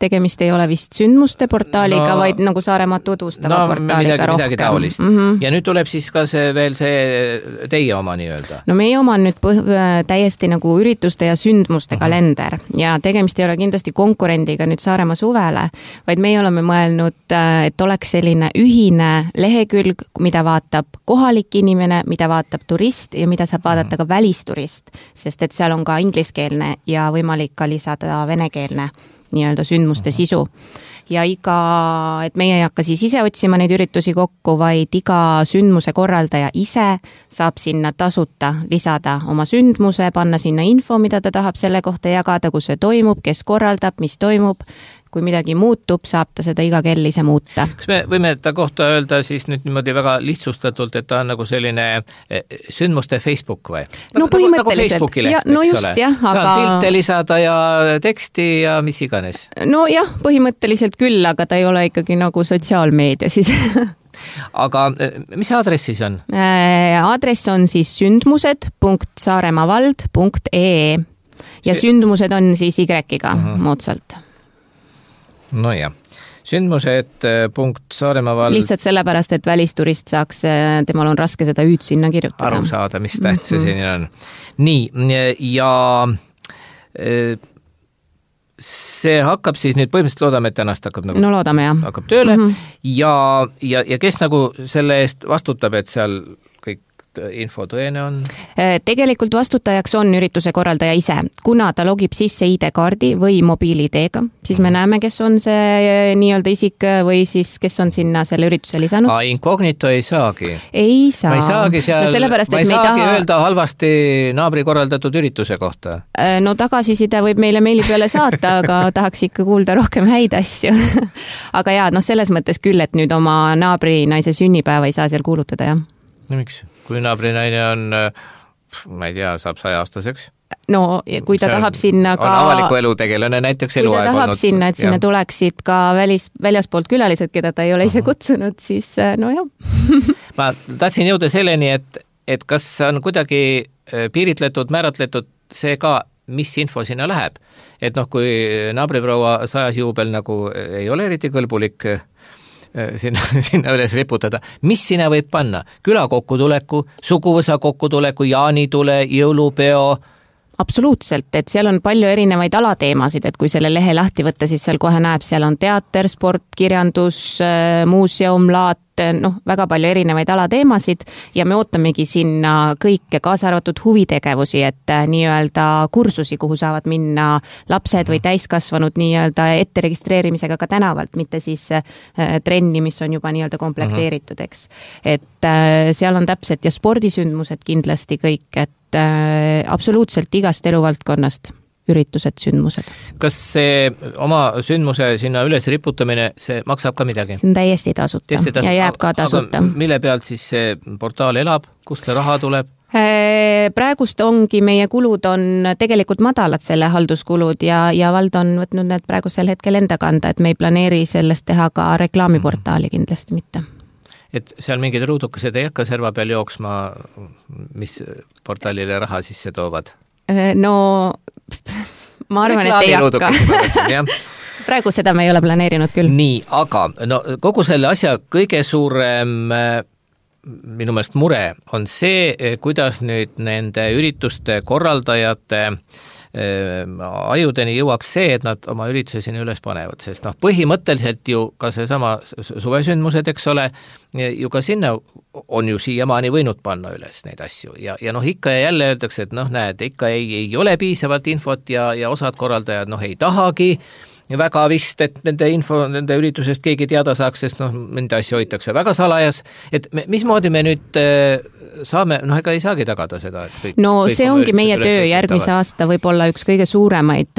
Tegemist ei ole vist sündmuste portaaliga, vaid nagu Saaremaa tutvustava portaaliga rohkem. Midagi taolist. Ja nüüd tuleb siis ka veel see teie oma nii-öelda. No meie oma on nüüd täiesti nagu ürituste ja sündmuste kalender ja tegemist ei ole kindlasti konkurendiga nüüd Saaremaa suvele, vaid meie oleme mõelnud, et oleks selline ühine lehekülg, mida vaatab kohalik inimene, mida vaatab turist ja mida saab vaadata ka välisturist, sest et seal on ka ingliskeelne ja võimalik ka lisada venekeelne nii-öelda sündmuste sisu. Ja et meie ei hakka siis ise otsima neid üritusi kokku, vaid iga sündmuse korraldaja ise saab sinna tasuta lisada oma sündmuse, panna sinna info, mida ta tahab selle kohta jagada, kus see toimub, kes korraldab, mis toimub. Kui midagi muutub, saab ta seda iga kell ise muuta. Kas me võime ta kohta öelda siis nüüd niimoodi väga lihtsustatult, et ta on nagu selline sündmuste Facebook või? No põhimõtteliselt. Nagu Facebooki leht, no just, jah. Saan pilte lisada ja teksti ja mis iganes. No jah, põhimõtteliselt küll, aga ta ei ole ikkagi nagu sotsiaalmeedia siis. Aga mis aadress siis on? Aadress on siis sündmused.saaremaavald.ee ja sündmused on siis Y-ga moodsalt. No jah, sündmused.saaremaavald. Lihtsalt sellepärast, et välisturist saaks, temal on raske seda hüüd sinna kirjutada. Aru saada, mis täht see siin on. Nii, ja see hakkab siis nüüd, põhimõtteliselt loodame, et tänast hakkab nagu... No loodame, jah. Hakkab tööle ja kes nagu selle eest vastutab, et seal kõik info tõene on? Tegelikult vastutajaks on ürituse korraldaja ise. Kuna ta logib sisse ID-kaardi või mobiil-ID-ga, siis me näeme, kes on see nii-öelda isik või siis kes on sinna selle ürituse lisanud. Incognito ei saagi? Ei saa. Ma ei saagi seal, no ma ei saagi öelda halvasti naabri korraldatud ürituse kohta? No tagasiside võib meile meili peale saata, aga tahaks ikka kuulda rohkem häid asju. Aga jah, selles mõttes küll, et nüüd oma naabri naise sünnipäeva ei saa seal kuulutada, jah. No miks? Kui naabrinaine on, ma ei tea, saab 100-aastaseks? No kui ta tahab sinna ka... On avaliku elu tegelane näiteks eluaeg olnud. Kui ta tahab sinna, et sinna tuleksid ka väljaspoolt külalised, keda ta ei ole ise kutsunud, siis no jah. Ma tahtsin jõuda selleni, et kas on kuidagi piiritletud, määratletud see ka, mis info sinna läheb. Et kui naabriproua 100 juubel nagu ei ole eriti kõlbulik sinna üles riputada. Mis sinna võib panna? Küla kokkutuleku, suguvõsa kokkutuleku, jaanitule, jõulupeo? Absoluutselt, et seal on palju erinevaid alateemasid, et kui selle lehe lahti võtta, siis seal kohe näeb, seal on teater, sport, kirjandus, muuseum, laat, väga palju erinevaid alateemasid ja me ootamegi sinna kõike, kaasa arvatud huvitegevusi, et nii-öelda kursusi, kuhu saavad minna lapsed või täiskasvanud nii-öelda ette registreerimisega ka tänavalt, mitte siis trenni, mis on juba nii-öelda komplekteeritud, eks. Et seal on täpselt ja spordisündmused kindlasti kõik, et absoluutselt igast eluvaldkonnast üritused, sündmused. Kas see oma sündmuse sinna üles riputamine, see maksab ka midagi? See on täiesti tasuta ja jääb ka tasuta. Aga mille pealt siis see portaal elab? Kust see raha tuleb? Praegust ongi, meie kulud on tegelikult madalad, selle halduskulud ja vald on võtnud need praegusel hetkel enda kanda, et me ei planeeri sellest teha ka reklaamiportaali kindlasti mitte. Et seal mingid ruudukesed ei hakka serva peal jooksma, mis portaalile raha sisse toovad? No ma arvan, et ei hakka. Praegu seda me ei ole planeerinud küll. Nii, aga kogu selle asja kõige suurem minu meelest mure on see, kuidas nüüd nende ürituste korraldajate ajudeni jõuaks see, et nad oma ürituse sinna üles panevad, sest põhimõtteliselt ju ka seesama suvesündmused, eks ole, ju ka sinna on ju siiamaani võinud panna üles neid asju ja ikka ja jälle öeldakse, et näed, ikka ei ole piisavalt infot ja osad korraldajad ei tahagi väga vist, et nende üritusest keegi teada saaks, sest nende asju hoitakse väga salajas, et mismoodi me nüüd saame, ega ei saagi tagada seda, et kõik... See ongi meie töö järgmise aasta võib-olla üks kõige suuremaid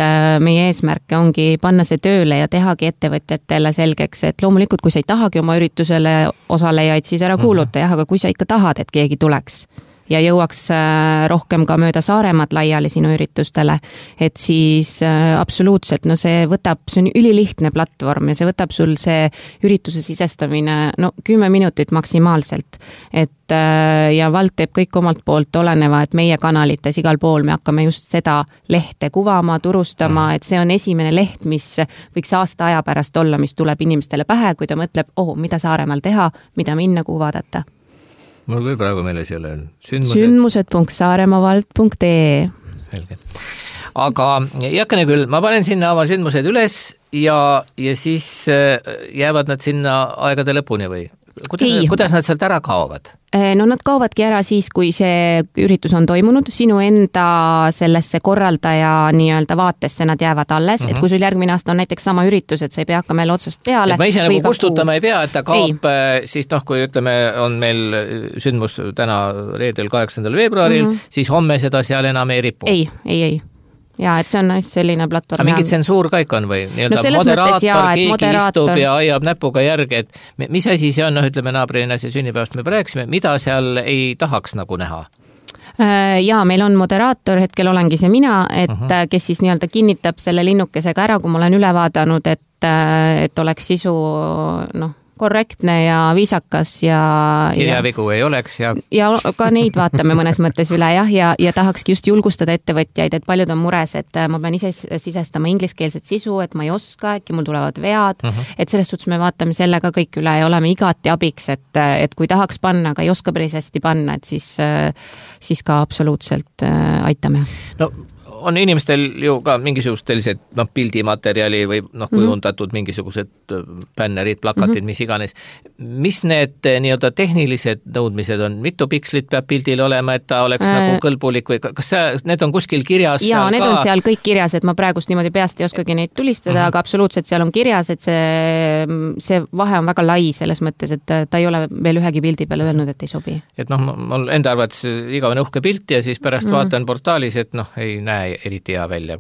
meie eesmärke ongi panna see tööle ja tehagi ettevõtjatele selgeks, et loomulikult, kui sa ei tahagi oma üritusele osalejaid, siis ära kuuluta, aga kui sa ikka tahad, et keegi tuleks ja jõuaks rohkem ka mööda Saaremaad laiali sinu üritustele, et siis absoluutselt, see on ülilihtne platvorm ja see võtab sul see ürituse sisestamine 10 minutit maksimaalselt, et ja Vald teeb kõik omalt poolt oleneva, et meie kanalites igal pool me hakkame just seda lehte kuvama, turustama, et see on esimene leht, mis võiks aasta aja pärast olla, mis tuleb inimestele pähe, kui ta mõtleb, mida Saaremaal teha, mida minna, kuhu vaadata. Mul küll praegu meeles ei ole sündmused.saaremaavald.ee. Selge. Aga jakene küll, ma panen sinna oma sündmused üles ja siis jäävad nad sinna aegade lõpuni või? Kuidas nad sealt ära kaovad? Nad kaovadki ära siis, kui see üritus on toimunud, sinu enda sellesse korraldaja nii-öelda vaatesse nad jäävad alles, et kui sul järgmine aasta on näiteks sama üritus, et sa ei pea hakkama jälle otsast peale. Et ma ise nagu kustutama ei pea, et ta kaob, siis kui ütleme, on meil sündmus täna reedel 8. veebruaril, siis homme seda seal enam ei ripu. Ei. Ja, et see on selline platvorm. Aga mingi tsensuur kõik on või? Keegi istub ja aiab näpuga järgi, et mis asi see on, ütleme naabrina see sünnipäevast me rääkisime, mida seal ei tahaks nagu näha? Ja meil on moderaator, hetkel olengi see mina, et kes siis nii-öelda kinnitab selle linnukesega ära, kui ma olen üle vaadanud, et oleks sisu korrektne ja viisakas ja kirjavigu ei oleks ja ka neid vaatame mõnes mõttes üle ja tahakski just julgustada ettevõtjaid, et paljud on mures, et ma pean ise sisestama ingliskeelset sisu, et ma ei oska, äkki mul tulevad vead, et selles suhtes me vaatame selle ka kõik üle ja oleme igati abiks, et kui tahaks panna, aga ei oska päris hästi panna, et siis ka absoluutselt aitame. On inimestel ju ka mingisugused sellised pildimaterjali või kujundatud mingisugused bännerid, plakatid, mis iganes. Mis need nii-öelda tehnilised nõudmised on? Mitu pikslit peab pildil olema, et ta oleks nagu kõlbulik või kas need on kuskil kirjas? Jaa, need on seal kõik kirjas, et ma praegust niimoodi peast ei oskagi neid tulistada, aga absoluutselt seal on kirjas, et see vahe on väga lai selles mõttes, et ta ei ole veel ühegi pildi peale öelnud, et ei sobi. Et mul enda arvates igavene uhke pilt ja siis pärast vaatan portaalis, et ei näe eriti hea välja,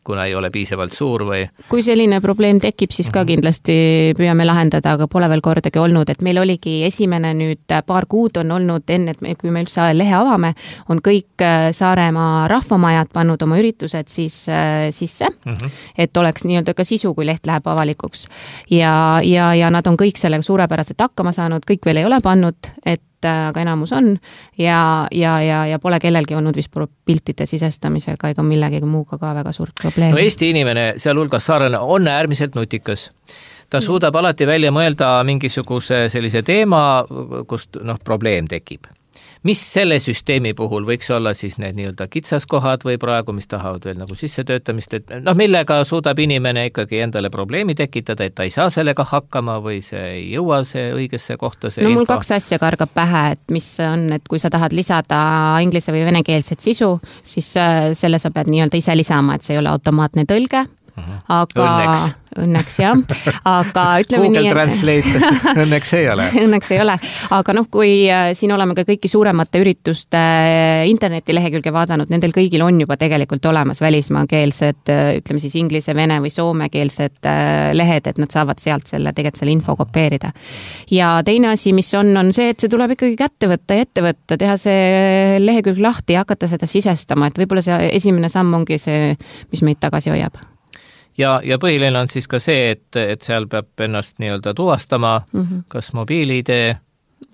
kuna ei ole piisavalt suur või... Kui selline probleem tekib, siis ka kindlasti püüame lahendada, aga pole veel kordagi olnud, et meil oligi esimene nüüd paar kuud on olnud enne, kui me üldse lehe avame, on kõik Saaremaa rahvamajad pannud oma üritused siis sisse, et oleks nii-öelda ka sisu, kui leht läheb avalikuks. Ja nad on kõik sellega suurepäraselt hakkama saanud, kõik veel ei ole pannud, aga enamus on ja pole kellelgi olnud vist piltide sisestamisega ega millegi muuga ka väga suurt probleemi. Eesti inimene, sealhulgas saarlane, on äärmiselt nutikas. Ta suudab alati välja mõelda mingisuguse sellise teema, kust probleem tekib. Mis selle süsteemi puhul võiks olla siis need nii-öelda kitsaskohad või praegu, mis tahavad veel nagu sissetöötamist, et millega suudab inimene ikkagi endale probleemi tekitada, et ta ei saa sellega hakkama või see ei jõua see õigesse kohta see mul 2 asja kargab pähe, et mis on, et kui sa tahad lisada inglise või venekeelset sisu, siis selle sa pead nii-öelda ise lisama, et see ei ole automaatne tõlge. Aga õnneks jah, aga ütleme Google nii, Translate õnneks ei ole. Õnneks ei ole, aga kui siin oleme ka kõiki suuremate ürituste internetilehekülge vaadanud, nendel kõigil on juba tegelikult olemas välismaakeelsed, ütleme siis inglise, vene või soomekeelsed lehed, et nad saavad sealt selle info kopeerida. Ja teine asi, mis on see, et see tuleb ikkagi kätte võtta ja ette võtta, teha see lehekülg lahti ja hakata seda sisestama, et võib-olla see esimene samm ongi see, mis meid tagasi hoiab. Ja põhiline on siis ka see, et seal peab ennast nii-öelda tuvastama, kas mobiil-ID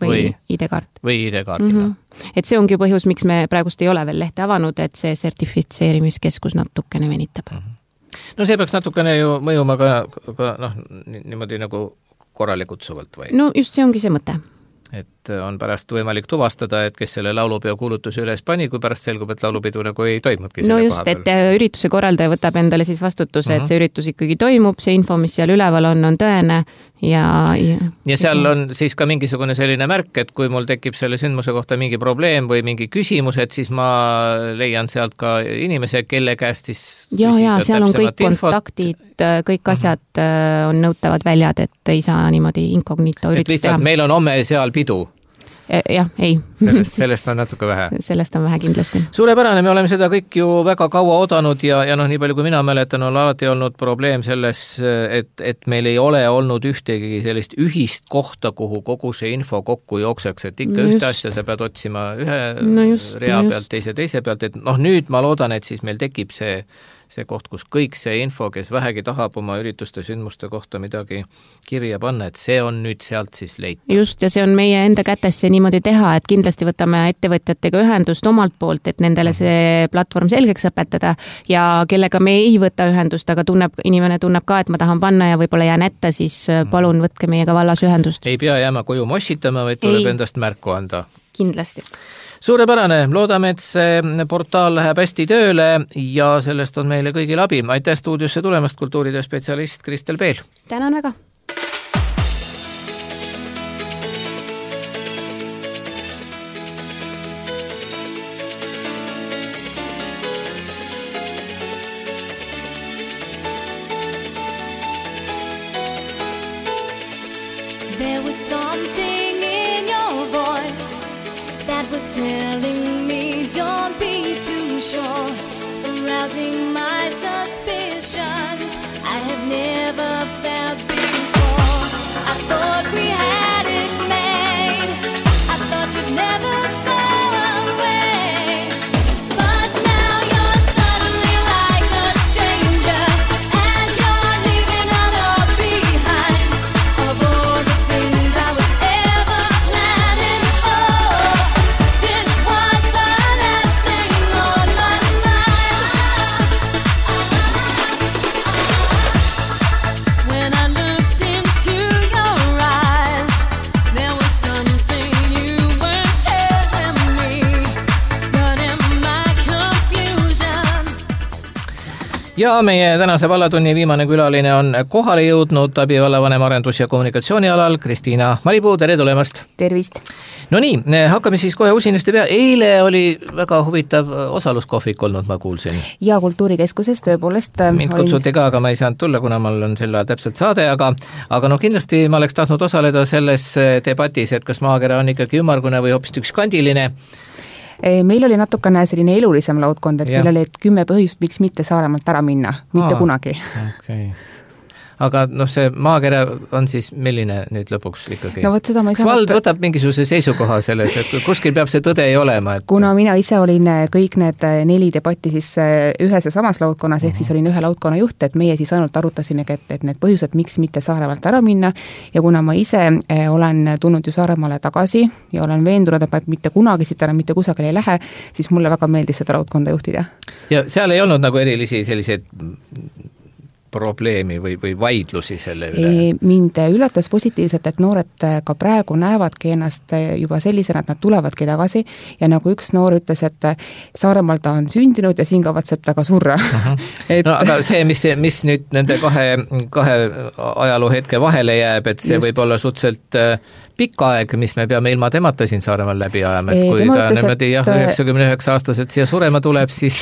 või ID-kaart. Või ID-kaardina. Et see ongi põhjus, miks me praegust ei ole veel lehte avanud, et see sertifitseerimiskeskus natukene venitab. See peaks natukene ju mõjuma ka niimoodi nagu korralikult kutsuvalt või? Just see ongi see mõte. et on pärast võimalik tuvastada, et kes selle laulupeo kuulutuse üles pani, kui pärast selgub, et laulupidu nagu ei toimudki no just, et ürituse korraldaja võtab endale siis vastutuse, et see üritus ikkagi toimub, see info, mis seal üleval on tõene ja seal on siis ka mingisugune selline märk, et kui mul tekib selle sündmuse kohta mingi probleem või mingi küsimus, et siis ma leian sealt ka inimese, kelle käest siis ja seal on kõik kontaktid, kõik asjad on nõutavad väljad, et ei saa niimoodi inkognito üritust teha. Meil on homme seal pidu. Jah, ei. Sellest on natuke vähe. Sellest on vähe kindlasti. Suurepärane, me oleme seda kõik ju väga kaua oodanud ja nii palju kui mina mäletan, on alati olnud probleem selles, et meil ei ole olnud ühtegi sellist ühist kohta, kuhu kogu see info kokku jookseks, et ikka ühte asja sa pead otsima ühe rea pealt, teise pealt, et nüüd ma loodan, et siis meil tekib see koht, kus kõik see info, kes vähegi tahab oma ürituste sündmuste kohta midagi kirja panna, et see on nüüd sealt siis leitav. Just, ja see on meie enda kätes see niimoodi teha, et kindlasti võtame ettevõtjatega ühendust omalt poolt, et nendele see platvorm selgeks õpetada ja kellega me ei võta ühendust, aga inimene tunneb ka, et ma tahan panna ja võib-olla jään ette, siis palun võtke meiega vallas ühendust. Ei pea jääma koju mossitama, vaid tuleb endast märku anda. Kindlasti. Suurepärane, loodame, et see portaal läheb hästi tööle ja sellest on meile kõigil abi. Aitäh stuudiosse tulemast, kultuuritöö spetsialist Kristel Peel. Tänan väga. There was something in your voice that was telling me don't be too sure, arousing my suspicions I have never felt before. I thought we had it made, I thought you'd never go away, but now you're suddenly like a stranger, and you're leaving all up behind of all the things I was ever planning for. This was the last thing on my mind. When I looked into your eyes, there was something you were telling me, but in my confusion Ja meie tänase vallatunni viimane külaline on kohale jõudnud abivallavanem arendus- ja kommunikatsioonialal Kristiina Maripuu, tere tulemast! Tervist! No nii, hakkame siis kohe usinasti pea. Eile oli väga huvitav osaluskohvik olnud, ma kuulsin. Ja Kultuurikeskuses tõepoolest Mind kutsuti ka, aga ma ei saanud tulla, kuna mul on selle täpselt saade, aga kindlasti ma oleks tahtnud osaleda selles debatis, et kas maakera on ikkagi ümmargune või hoopis ükskkandiline. Meil oli natukene selline elulisem laudkond, et meil oli 10 põhjust, miks mitte Saaremaalt ära minna, mitte kunagi. Okay. Aga see maakera on siis milline nüüd lõpuks ikkagi? No võt seda ma ei Kas vald võtab mingisuguse seisukoha selles, et kuskil peab see tõde ei olema? Et... Kuna mina ise olin kõik need 4 debatti siis ühes ja samas laudkonnas, ehk siis olin ühe laudkonna juht, et meie siis ainult arutasimegi, et need põhjused, miks mitte Saaremaalt ära minna, ja kuna ma ise olen tulnud ju Saaremaale tagasi ja olen veendunud, et mitte kunagi siit enam mitte kusagil ei lähe, siis mulle väga meeldis seda laudkonda juhtida. Ja seal ei olnud nagu erilisi selliseid probleemi või vaidlusi selle üle? Mind üllatas positiivselt, et noored ka praegu näevadki ennast juba sellisena, et nad tulevadki tagasi ja nagu üks noor ütles, et Saaremaal ta on sündinud ja siin kavatseb ta ka surra. No aga see, mis nüüd nende kahe ajaloo hetke vahele jääb, et see võib olla suhteliselt pikka aeg, mis me peame ilma temata siin Saaremaal läbi ajama, et kui ta niimoodi 99-aastaselt siia surema tuleb, siis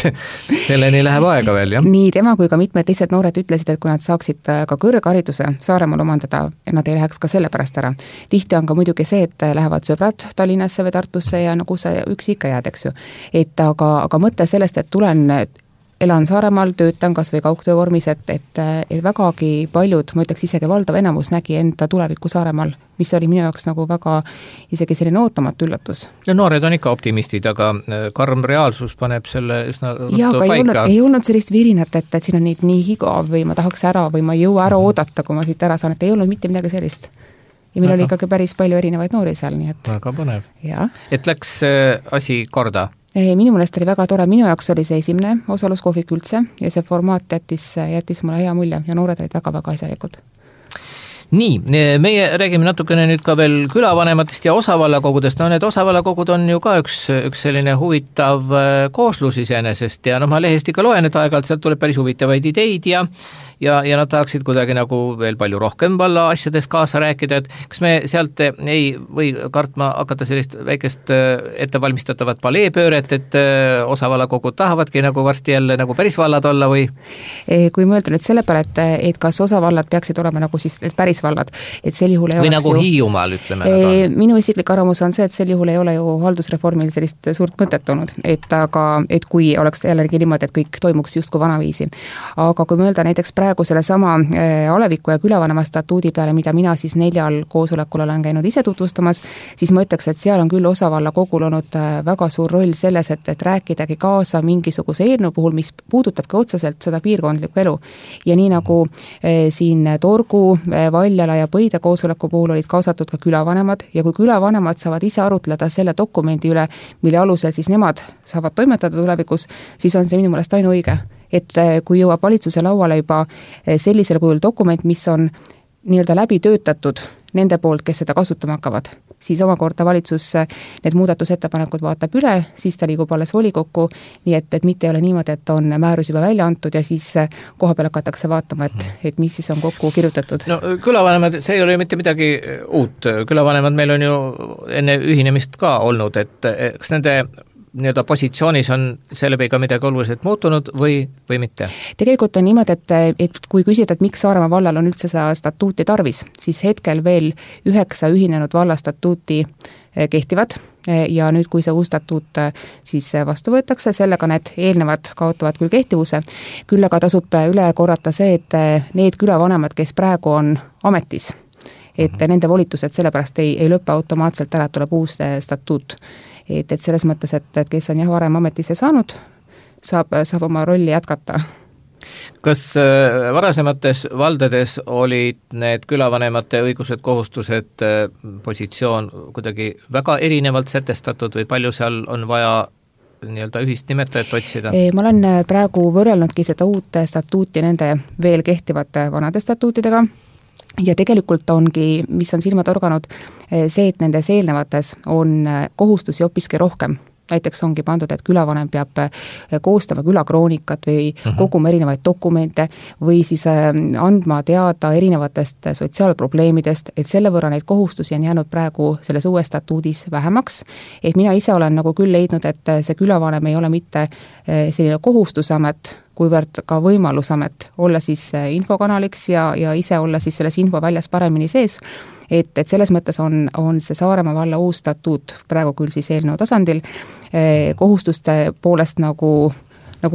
selleni läheb aega veel, jah? Nii tema kui ka mitmed teised noored ütlesid, et kui nad saaksid ka kõrghariduse Saaremaal omandada, nad ei läheks ka selle pärast ära. Tihti on ka muidugi see, et lähevad sõbrad Tallinnasse või Tartusse ja nagu sa üksi ikka jääd, eks ju. Et aga mõte sellest, et elan Saaremaal, töötan kas või kaugtöö vormis, et vägagi paljud, ma ütleks isegi valdav enamus nägi enda tulevikku Saaremaal, mis oli minu jaoks nagu väga isegi selline ootamatu üllatus. Ja noored on ikka optimistid, aga karm reaalsus paneb selle üsna ruttu paika. Ei olnud sellist virinat, et siin on nii igav või ma tahaks ära või ma ei jõua ära oodata, kui ma siit ära saan, et ei olnud mitte midagi sellist. Ja meil oli ikkagi päris palju erinevaid noori seal, nii et... Väga põnev. Ja. Et läks asi korda? Minu meelest oli väga tore, minu jaoks oli see esimene osaluskohvik üldse ja see formaat jättis mulle hea mulje ja noored olid väga-väga asjalikud. Nii, meie räägime natukene nüüd ka veel külavanematest ja osavallakogudest. No need osavallakogud on ju ka üks selline huvitav kooslus iseenesest ja ma lehest ikka loen, et aeg-ajalt sealt tuleb päris huvitavaid ideid ja nad tahaksid kuidagi nagu veel palju rohkem valla asjades kaasa rääkida, et kas me sealt ei või kartma hakata sellist väikest ettevalmistatavat paleepööret, et osavallakogud tahavadki nagu varsti jälle nagu päris vallad olla või? Kui mõelda nüüd selle peale, et kas osavallad peaksid olema nagu siis päris vallad, et sel juhul ei või oleks nagu Hiiumaal, ütleme nad on. Minu isiklik arvamus on see, et sel juhul ei ole ju haldusreformil sellist suurt mõtet olnud, et kui oleks jällegi niimoodi, et kõik toimuks justkui vanaviisi. Aga kui mõelda näiteks praegu sellesama aleviku ja külavanema statuudi peale, mida mina siis 4 koosolekul olen käinud ise tutvustamas, siis ma ütleks, et seal on küll osavallakogul olnud väga suur roll selles, et rääkidagi kaasa mingisuguse eelnõu puhul, mis puudutabki otseselt seda piirkondlikku elu. Ja nii nagu siin Torgu, Valjala ja Põide koosoleku puhul olid kaasatud ka külavanemad ja kui külavanemad saavad ise arutleda selle dokumendi üle, mille alusel siis nemad saavad toimetada tulevikus, siis on see minu meelest ainuõige. Et kui jõuab valitsuse lauale juba sellisel kujul dokument, mis on nii-öelda läbi töötatud nende poolt, kes seda kasutama hakkavad, siis omakorda valitsus need muudatusettepanekud vaatab üle, siis ta liigub alles volikokku, nii et mitte ei ole niimoodi, et on määrus juba välja antud ja siis koha peal hakatakse vaatama, et mis siis on kokku kirjutatud. No külavanemad, see ei ole mitte midagi uut, külavanemad meil on ju enne ühinemist ka olnud, et kas nende nii-öelda positsioonis on selle ka midagi oluliselt muutunud või mitte? Tegelikult on niimoodi, et kui küsida, et miks Saaremaa vallal on üldse seda statuuti tarvis, siis hetkel veel 9 ühinenud valla statuuti kehtivad ja nüüd, kui see uus statuut siis vastu võetakse, sellega need eelnevad kaotavad küll kehtivuse, küll aga tasub üle korrata see, et need külavanemad, kes praegu on ametis, et nende volitused sellepärast ei lõppe automaatselt ära, tuleb uus statuut. Et selles mõttes, et kes on varem ametisse saanud, saab oma rolli jätkata. Kas varasemates valdades olid need külavanemate õigused, kohustused, positsioon kuidagi väga erinevalt sätestatud või palju seal on vaja nii-öelda ühist nimetajat otsida? Ma olen praegu võrrelnudki seda uut statuuti nende veel kehtivate vanade statuutidega ja tegelikult ongi, mis on silma torganud, see, et nendes eelnevates on kohustusi hoopiski rohkem. Näiteks ongi pandud, et külavanem peab koostama külakroonikat või koguma erinevaid dokumente või siis andma teada erinevatest sotsiaalprobleemidest, et selle võrra neid kohustusi on jäänud praegu selles uues statuudis vähemaks. Et mina ise olen nagu küll leidnud, et see külavanem ei ole mitte selline kohustusamet, kuivõrd ka võimalusamet olla siis infokanaliks ja ise olla siis selles info väljas paremini sees. Et selles mõttes on see Saaremaa valla uus statuut praegu küll siis eelnõu tasandil kohustuste poolest nagu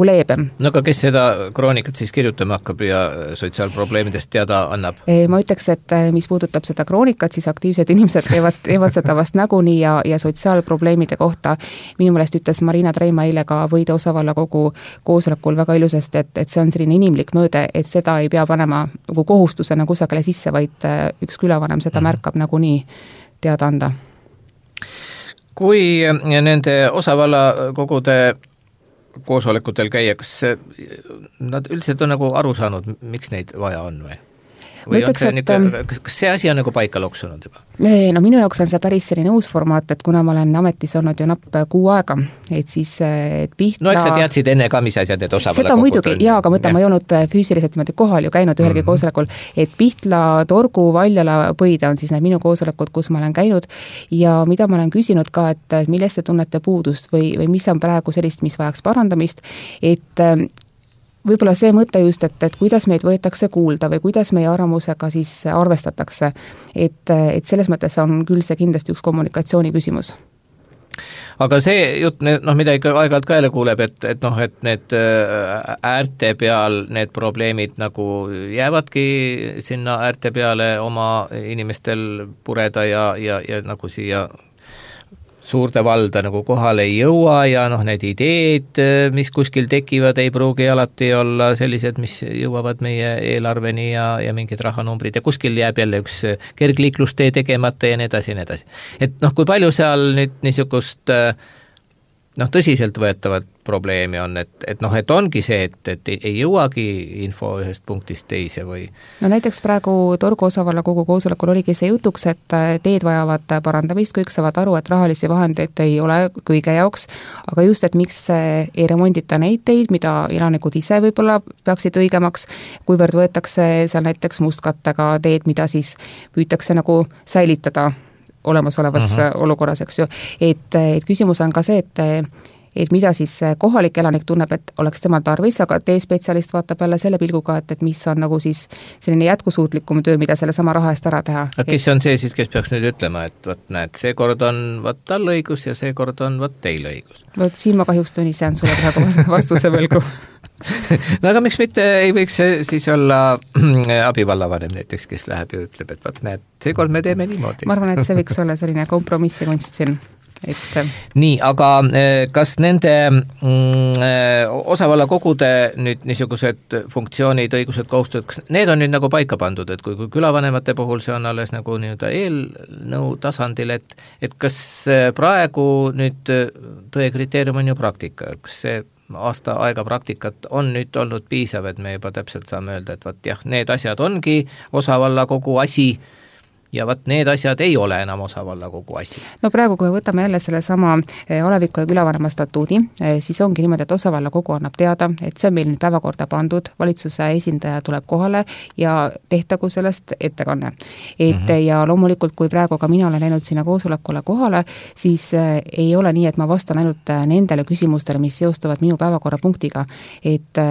leebem. No aga kes seda kroonikat siis kirjutama hakkab ja sotsiaalprobleemidest teada annab? Ma ütleks, et mis puudutab seda kroonikat, siis aktiivsed inimesed teevad seda vast nagunii ja sotsiaalprobleemide kohta. Minu meelest ütles Marina Treima eile ka Võide osavallakogu koosolekul väga ilusasti, et see on selline inimlik mõõde, et seda ei pea panema nagu kohustusena kusagile sisse, vaid üks külavanem seda märkab nagunii teada anda. Kui nende osavallakogude koosolekutel käia, kas nad üldiselt on nagu aru saanud, miks neid vaja on või? Või ütleks, kas see asi on nagu paika loksunud juba? No minu jaoks on see päris selline uus formaat, et kuna ma olen ametis olnud ju napp 6 aega, et siis Pihtla... No eks sa teadsid enne ka, mis asjad need osavallakogud seda muidugi, jaa, aga mõtlen, ma ei olnud füüsiliselt niimoodi kohal ju käinud ühelgi koosolekul, et Pihtla, Torgu, Valjala, Põide on siis need minu koosolekud, kus ma olen käinud ja mida ma olen küsinud ka, et millest te tunnete puudust või mis on praegu sellist, mis vajaks parandamist, et võib-olla see mõte just, et kuidas meid võetakse kuulda või kuidas meie arvamusega siis arvestatakse, et selles mõttes on küll see kindlasti üks kommunikatsiooni küsimus. Aga see jutt, mida ikka aeg-ajalt ka jälle kuuleb, et need äärte peal need probleemid nagu jäävadki sinna äärte peale oma inimestel pureda ja nagu siia suurde valda nagu kohale ei jõua ja need ideed, mis kuskil tekivad, ei pruugi alati olla sellised, mis jõuavad meie eelarveni ja mingid rahanumbrid ja kuskil jääb jälle üks kergliiklustee tegemata ja nii edasi. Et kui palju seal nüüd niisugust tõsiselt võetavat probleemi on, et ongi see, et ei jõuagi info ühest punktist teise või? No näiteks praegu Torgu osavallakogu koosolekul oligi see jutuks, et teed vajavad parandamist, kõik saavad aru, et rahalisi vahendeid ei ole kõige jaoks, aga just, et miks ei remondita neid teid, mida elanikud ise võib-olla peaksid õigemaks, kuivõrd võetakse seal näiteks mustkattega teed, mida siis püütakse nagu säilitada olemasolevas olukorras, eks ju. Et küsimus on ka see, et mida siis kohalik elanik tunneb, et oleks temal tarvis, aga teespetsialist vaatab jälle selle pilguga, et mis on nagu siis selline jätkusuutlikum töö, mida selle sama raha eest ära teha. Aga kes on see siis, kes peaks nüüd ütlema, et näed, see kord on tal õigus ja see kord on teil õigus? Siin ma kahjuks tunnistan sulle praegu vastuse võlgu. No aga miks mitte ei võiks siis olla abivallavanem näiteks, kes läheb ja ütleb, et näed, see kord me teeme niimoodi. Ma arvan, et see võiks olla selline kompromissikunst siin. Nii, aga kas nende osavallakogude nüüd niisugused funktsioonid, õigused, kohustused, kas need on nüüd nagu paika pandud, et kui külavanemate puhul see on alles nagu nii-öelda eelnõu tasandil, et kas praegu nüüd tõe kriteerium on ju praktika, kas see aasta aega praktikat on nüüd olnud piisav, et me juba täpselt saame öelda, et jah, need asjad ongi osavallakogu asi, ja need asjad ei ole enam osavallakogu asi. No praegu, kui võtame jälle selle sama aleviku ja külavanema statuudi, siis ongi niimoodi, et osavallakogu annab teada, et see on meil nüüd päevakorda pandud, valitsuse esindaja tuleb kohale ja tehtagu sellest ettekanne. Ja loomulikult, kui praegu ka mina olen läinud sinna koosolekule kohale, siis ei ole nii, et ma vastan ainult nendele küsimustele, mis seostuvad minu päevakorrapunktiga, et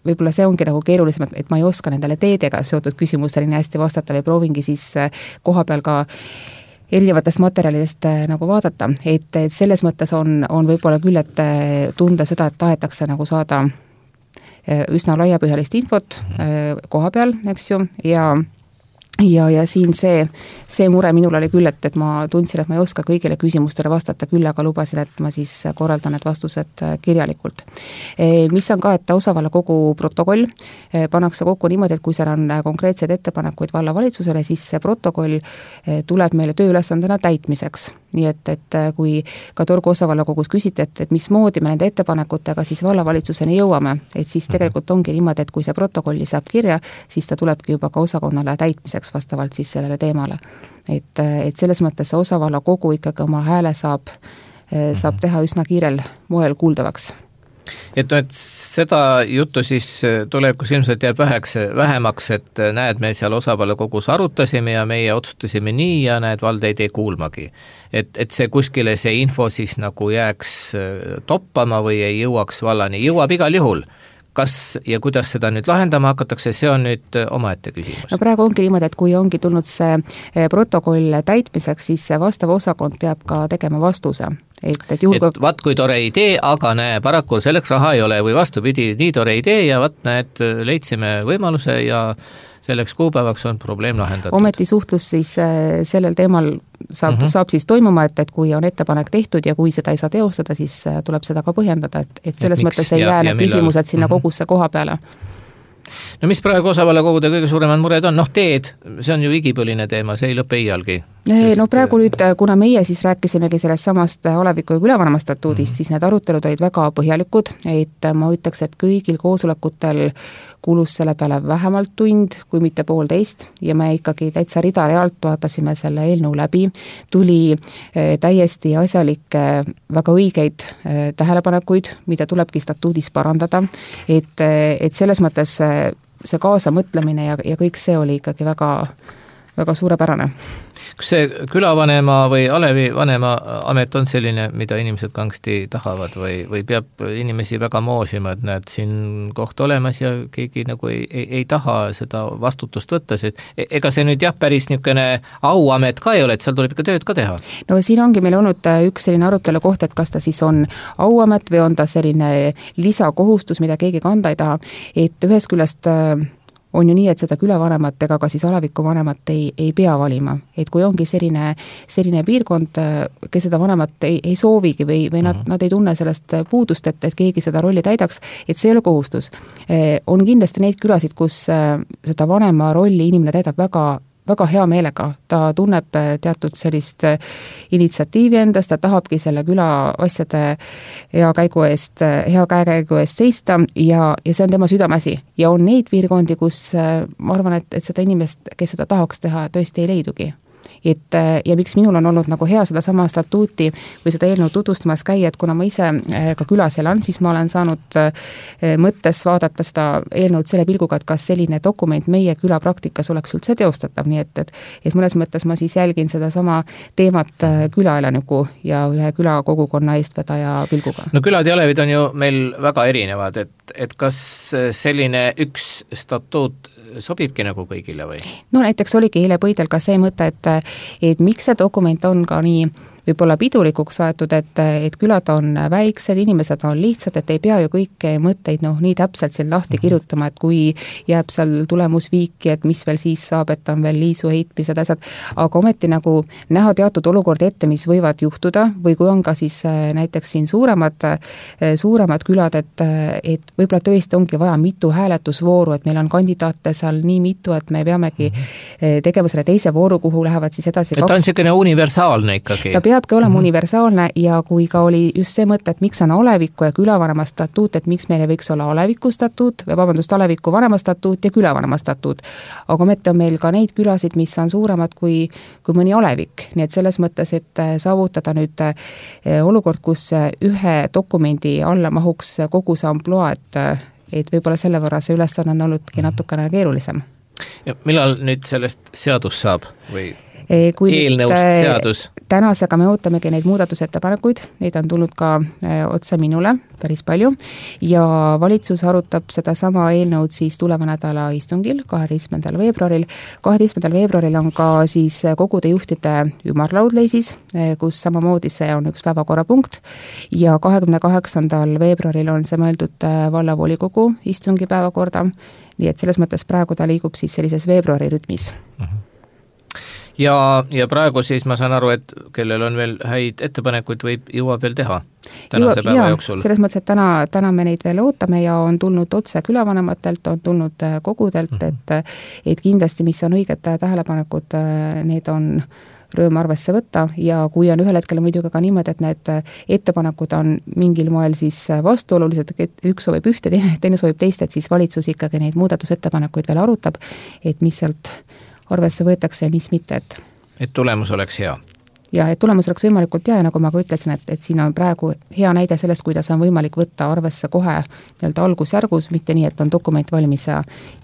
võib-olla see ongi nagu keerulisem, et ma ei oska nendele teedega seotud küsimustele nii hästi vastata või proovingi siis koha peal ka erinevatest materjalidest nagu vaadata, et selles mõttes on võib-olla küll, et tunda seda, et tahetakse nagu saada üsna laiapõhjalist infot koha peal, eks ju, ja siin see mure minul oli küll, et ma tundsin, et ma ei oska kõigile küsimustele vastata, küll aga lubasin, et ma siis korraldan need vastused kirjalikult. Mis on ka, et osavallakogu protokoll pannakse kokku niimoodi, et kui seal on konkreetseid ettepanekuid vallavalitsusele, siis see protokoll tuleb meile tööülesandena täitmiseks. Nii et kui ka Torgu osavallakogus küsite, et mismoodi me nende ettepanekutega siis vallavalitsuseni jõuame, et siis tegelikult ongi niimoodi, et kui see protokolli saab kirja, siis ta tulebki juba ka osakonnale täitmiseks vastavalt siis sellele teemale. Et selles mõttes see osavallakogu ikkagi oma hääle saab teha üsna kiirel moel kuuldavaks. Et seda juttu siis tulevikus ilmselt jääb vähemaks, et näed, me seal osavallakogus arutasime ja meie otsustasime nii ja näed, vald ei tee kuulmagi. Et see kuskile see info siis nagu jääks toppama või ei jõuaks vallani, jõuab igal juhul. Kas ja kuidas seda nüüd lahendama hakatakse, see on nüüd omaette küsimus. No praegu ongi niimoodi, et kui ongi tulnud see protokoll täitmiseks, siis see vastav osakond peab ka tegema vastuse. Et vaat kui tore idee, aga näe, paraku selleks raha ei ole või vastupidi, nii tore idee ja vaat näed, leidsime võimaluse ja selleks kuupäevaks on probleem lahendatud. Ometi suhtlus siis sellel teemal saab siis toimuma, et kui on ettepanek tehtud ja kui seda ei saa teostada, siis tuleb seda ka põhjendada, et selles mõttes ei jää need küsimused sinna kogusse koha peale. No mis praegu osavallakogude kõige suuremad mured on? Teed, see on ju igipõline teema, see ei lõpe iialgi. No praegu nüüd, kuna meie siis rääkisimegi sellest samast aleviku ja külavanema statuudist, siis need arutelud olid väga põhjalikud, et ma ütleks, et kõigil koosolekutel kulus selle peale vähemalt tund, kui mitte 1,5 ja me ikkagi täitsa rida-realt vaatasime selle eelnõu läbi, tuli täiesti asjalikke, väga õigeid tähelepanekuid, mida tulebki statuudis parandada, et selles mõttes see kaasamõtlemine ja kõik see oli ikkagi väga suurepärane. Kas see külavanema või alevivanema amet on selline, mida inimesed kangsti tahavad või peab inimesi väga moosima, et näed siin koht olemas ja keegi nagu ei taha seda vastutust võtta, sest ega see nüüd päris niisugune auamet ka ei ole, et seal tuleb ikka tööd ka teha. No siin ongi meil olnud üks selline arutelu koht, et kas ta siis on auamet või on ta selline lisakohustus, mida keegi kanda ei taha, et ühest küljest on ju nii, et seda külavanemat ega ka siis aleviku vanemat ei pea valima. Et kui ongi selline piirkond, kes seda vanemat ei soovigi või nad ei tunne sellest puudust, et keegi seda rolli täidaks, et see ei ole kohustus. On kindlasti neid külasid, kus seda vanema rolli inimene täidab väga väga hea meelega, ta tunneb teatud sellist initsiatiivi endast, ta tahabki selle küla asjade hea käekäigu eest seista ja see on tema südameasi. Ja on neid piirkondi, kus ma arvan, et seda inimest, kes seda tahaks teha, tõesti ei leidugi. Ja miks minul on olnud nagu hea seda sama statuuti või seda eelnõu tutvustamas käia, et kuna ma ise ka külas elan, siis ma olen saanud mõttes vaadata seda eelnõud selle pilguga, et kas selline dokument meie küla praktikas oleks üldse teostatav, nii et mõnes mõttes ma siis jälgin seda sama teemat külaelaniku ja ühe küla kogukonna eestvedaja pilguga. No külad ja alevid on ju meil väga erinevad, et kas selline üks statuut sobibki nagu kõigile või? No näiteks oligi eile Põidel ka see mõte, et miks see dokument on ka nii võib-olla pidulikuks aetud, et külad on väiksed, inimesed on lihtsad, et ei pea ju kõiki mõtteid nii täpselt siin lahti kirjutama, et kui jääb seal tulemusviiki, et mis veel siis saab, et on veel liisu heitmised, asjad, aga ometi nagu näha teatud olukordi ette, mis võivad juhtuda või kui on ka siis näiteks siin suuremad külad, et võib-olla tõesti ongi vaja mitu hääletusvooru, et meil on kandidaate seal nii mitu, et me peamegi tegema selle teise vooru, kuhu lähevad siis edasi et ta on selline universaalne ikkagi? Ta peabki olema universaalne ja kui ka oli just see mõte, et miks on aleviku ja külavanema statuut, et miks meil ei võiks olla aleviku statuut, aleviku vanema statuut ja külavanema statuut. Aga ometi on meil ka neid külasid, mis on suuremad kui mõni alevik. Nii et selles mõttes, et saavutada nüüd olukord, kus ühe dokumendi alla mahuks kogu see amploa, et võib-olla selle võrra see ülesanne on olnudki natukene keerulisem. Ja millal nüüd sellest seadus saab või eelnõust seadus? Tänasega me ootamegi neid muudatusettepanekuid, neid on tulnud ka otse minule päris palju ja valitsus arutab seda sama eelnõud siis tuleva nädala istungil 12. veebruaril. 12. veebruaril on ka siis kogude juhtide ümarlaud leisis, kus samamoodi see on üks päevakorrapunkt ja 28. veebruaril on see mõeldud vallavolikogu istungi päevakorda, nii et selles mõttes praegu ta liigub siis sellises veebruari rütmis. Ja praegu siis ma saan aru, et kellel on veel häid ettepanekuid, jõuab veel teha tänase päeva jooksul. Selles mõttes, et täna me neid veel ootame ja on tulnud otse külavanematelt, on tulnud kogudelt, et kindlasti, mis on õiged tähelepanekud, need on rõõm arvesse võtta ja kui on ühel hetkel muidugi ka niimoodi, et need ettepanekud on mingil moel siis vastuolulised, et üks soovib ühte, teine soovib teist, et siis valitsus ikkagi neid muudatusettepanekuid veel arutab, et mis sealt arvesse võetakse ja mis mitte, et tulemus oleks hea. Ja et tulemus oleks võimalikult hea ja nagu ma ka ütlesin, et siin on praegu hea näide sellest, kuidas on võimalik võtta arvesse kohe nii-öelda algusjärgus, mitte nii, et on dokument valmis ja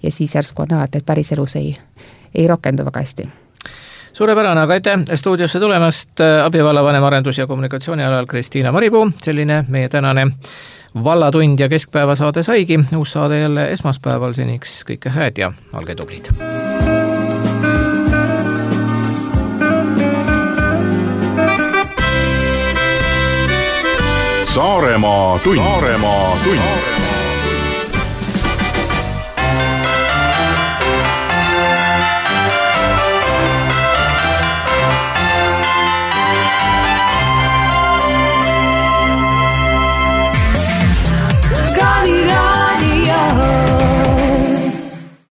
siis järsku on näha, et päris elus ei rakendu väga hästi. Suurepärane, aga aitäh stuudiosse tulemast, abivallavanem arendus- ja kommunikatsiooni alal Kristiina Maripuu, selline meie tänane vallatund ja keskpäevasaade saigi, uus saade jälle esmaspäeval, seniks kõike hääd ja olge tublid. Saaremaa tund.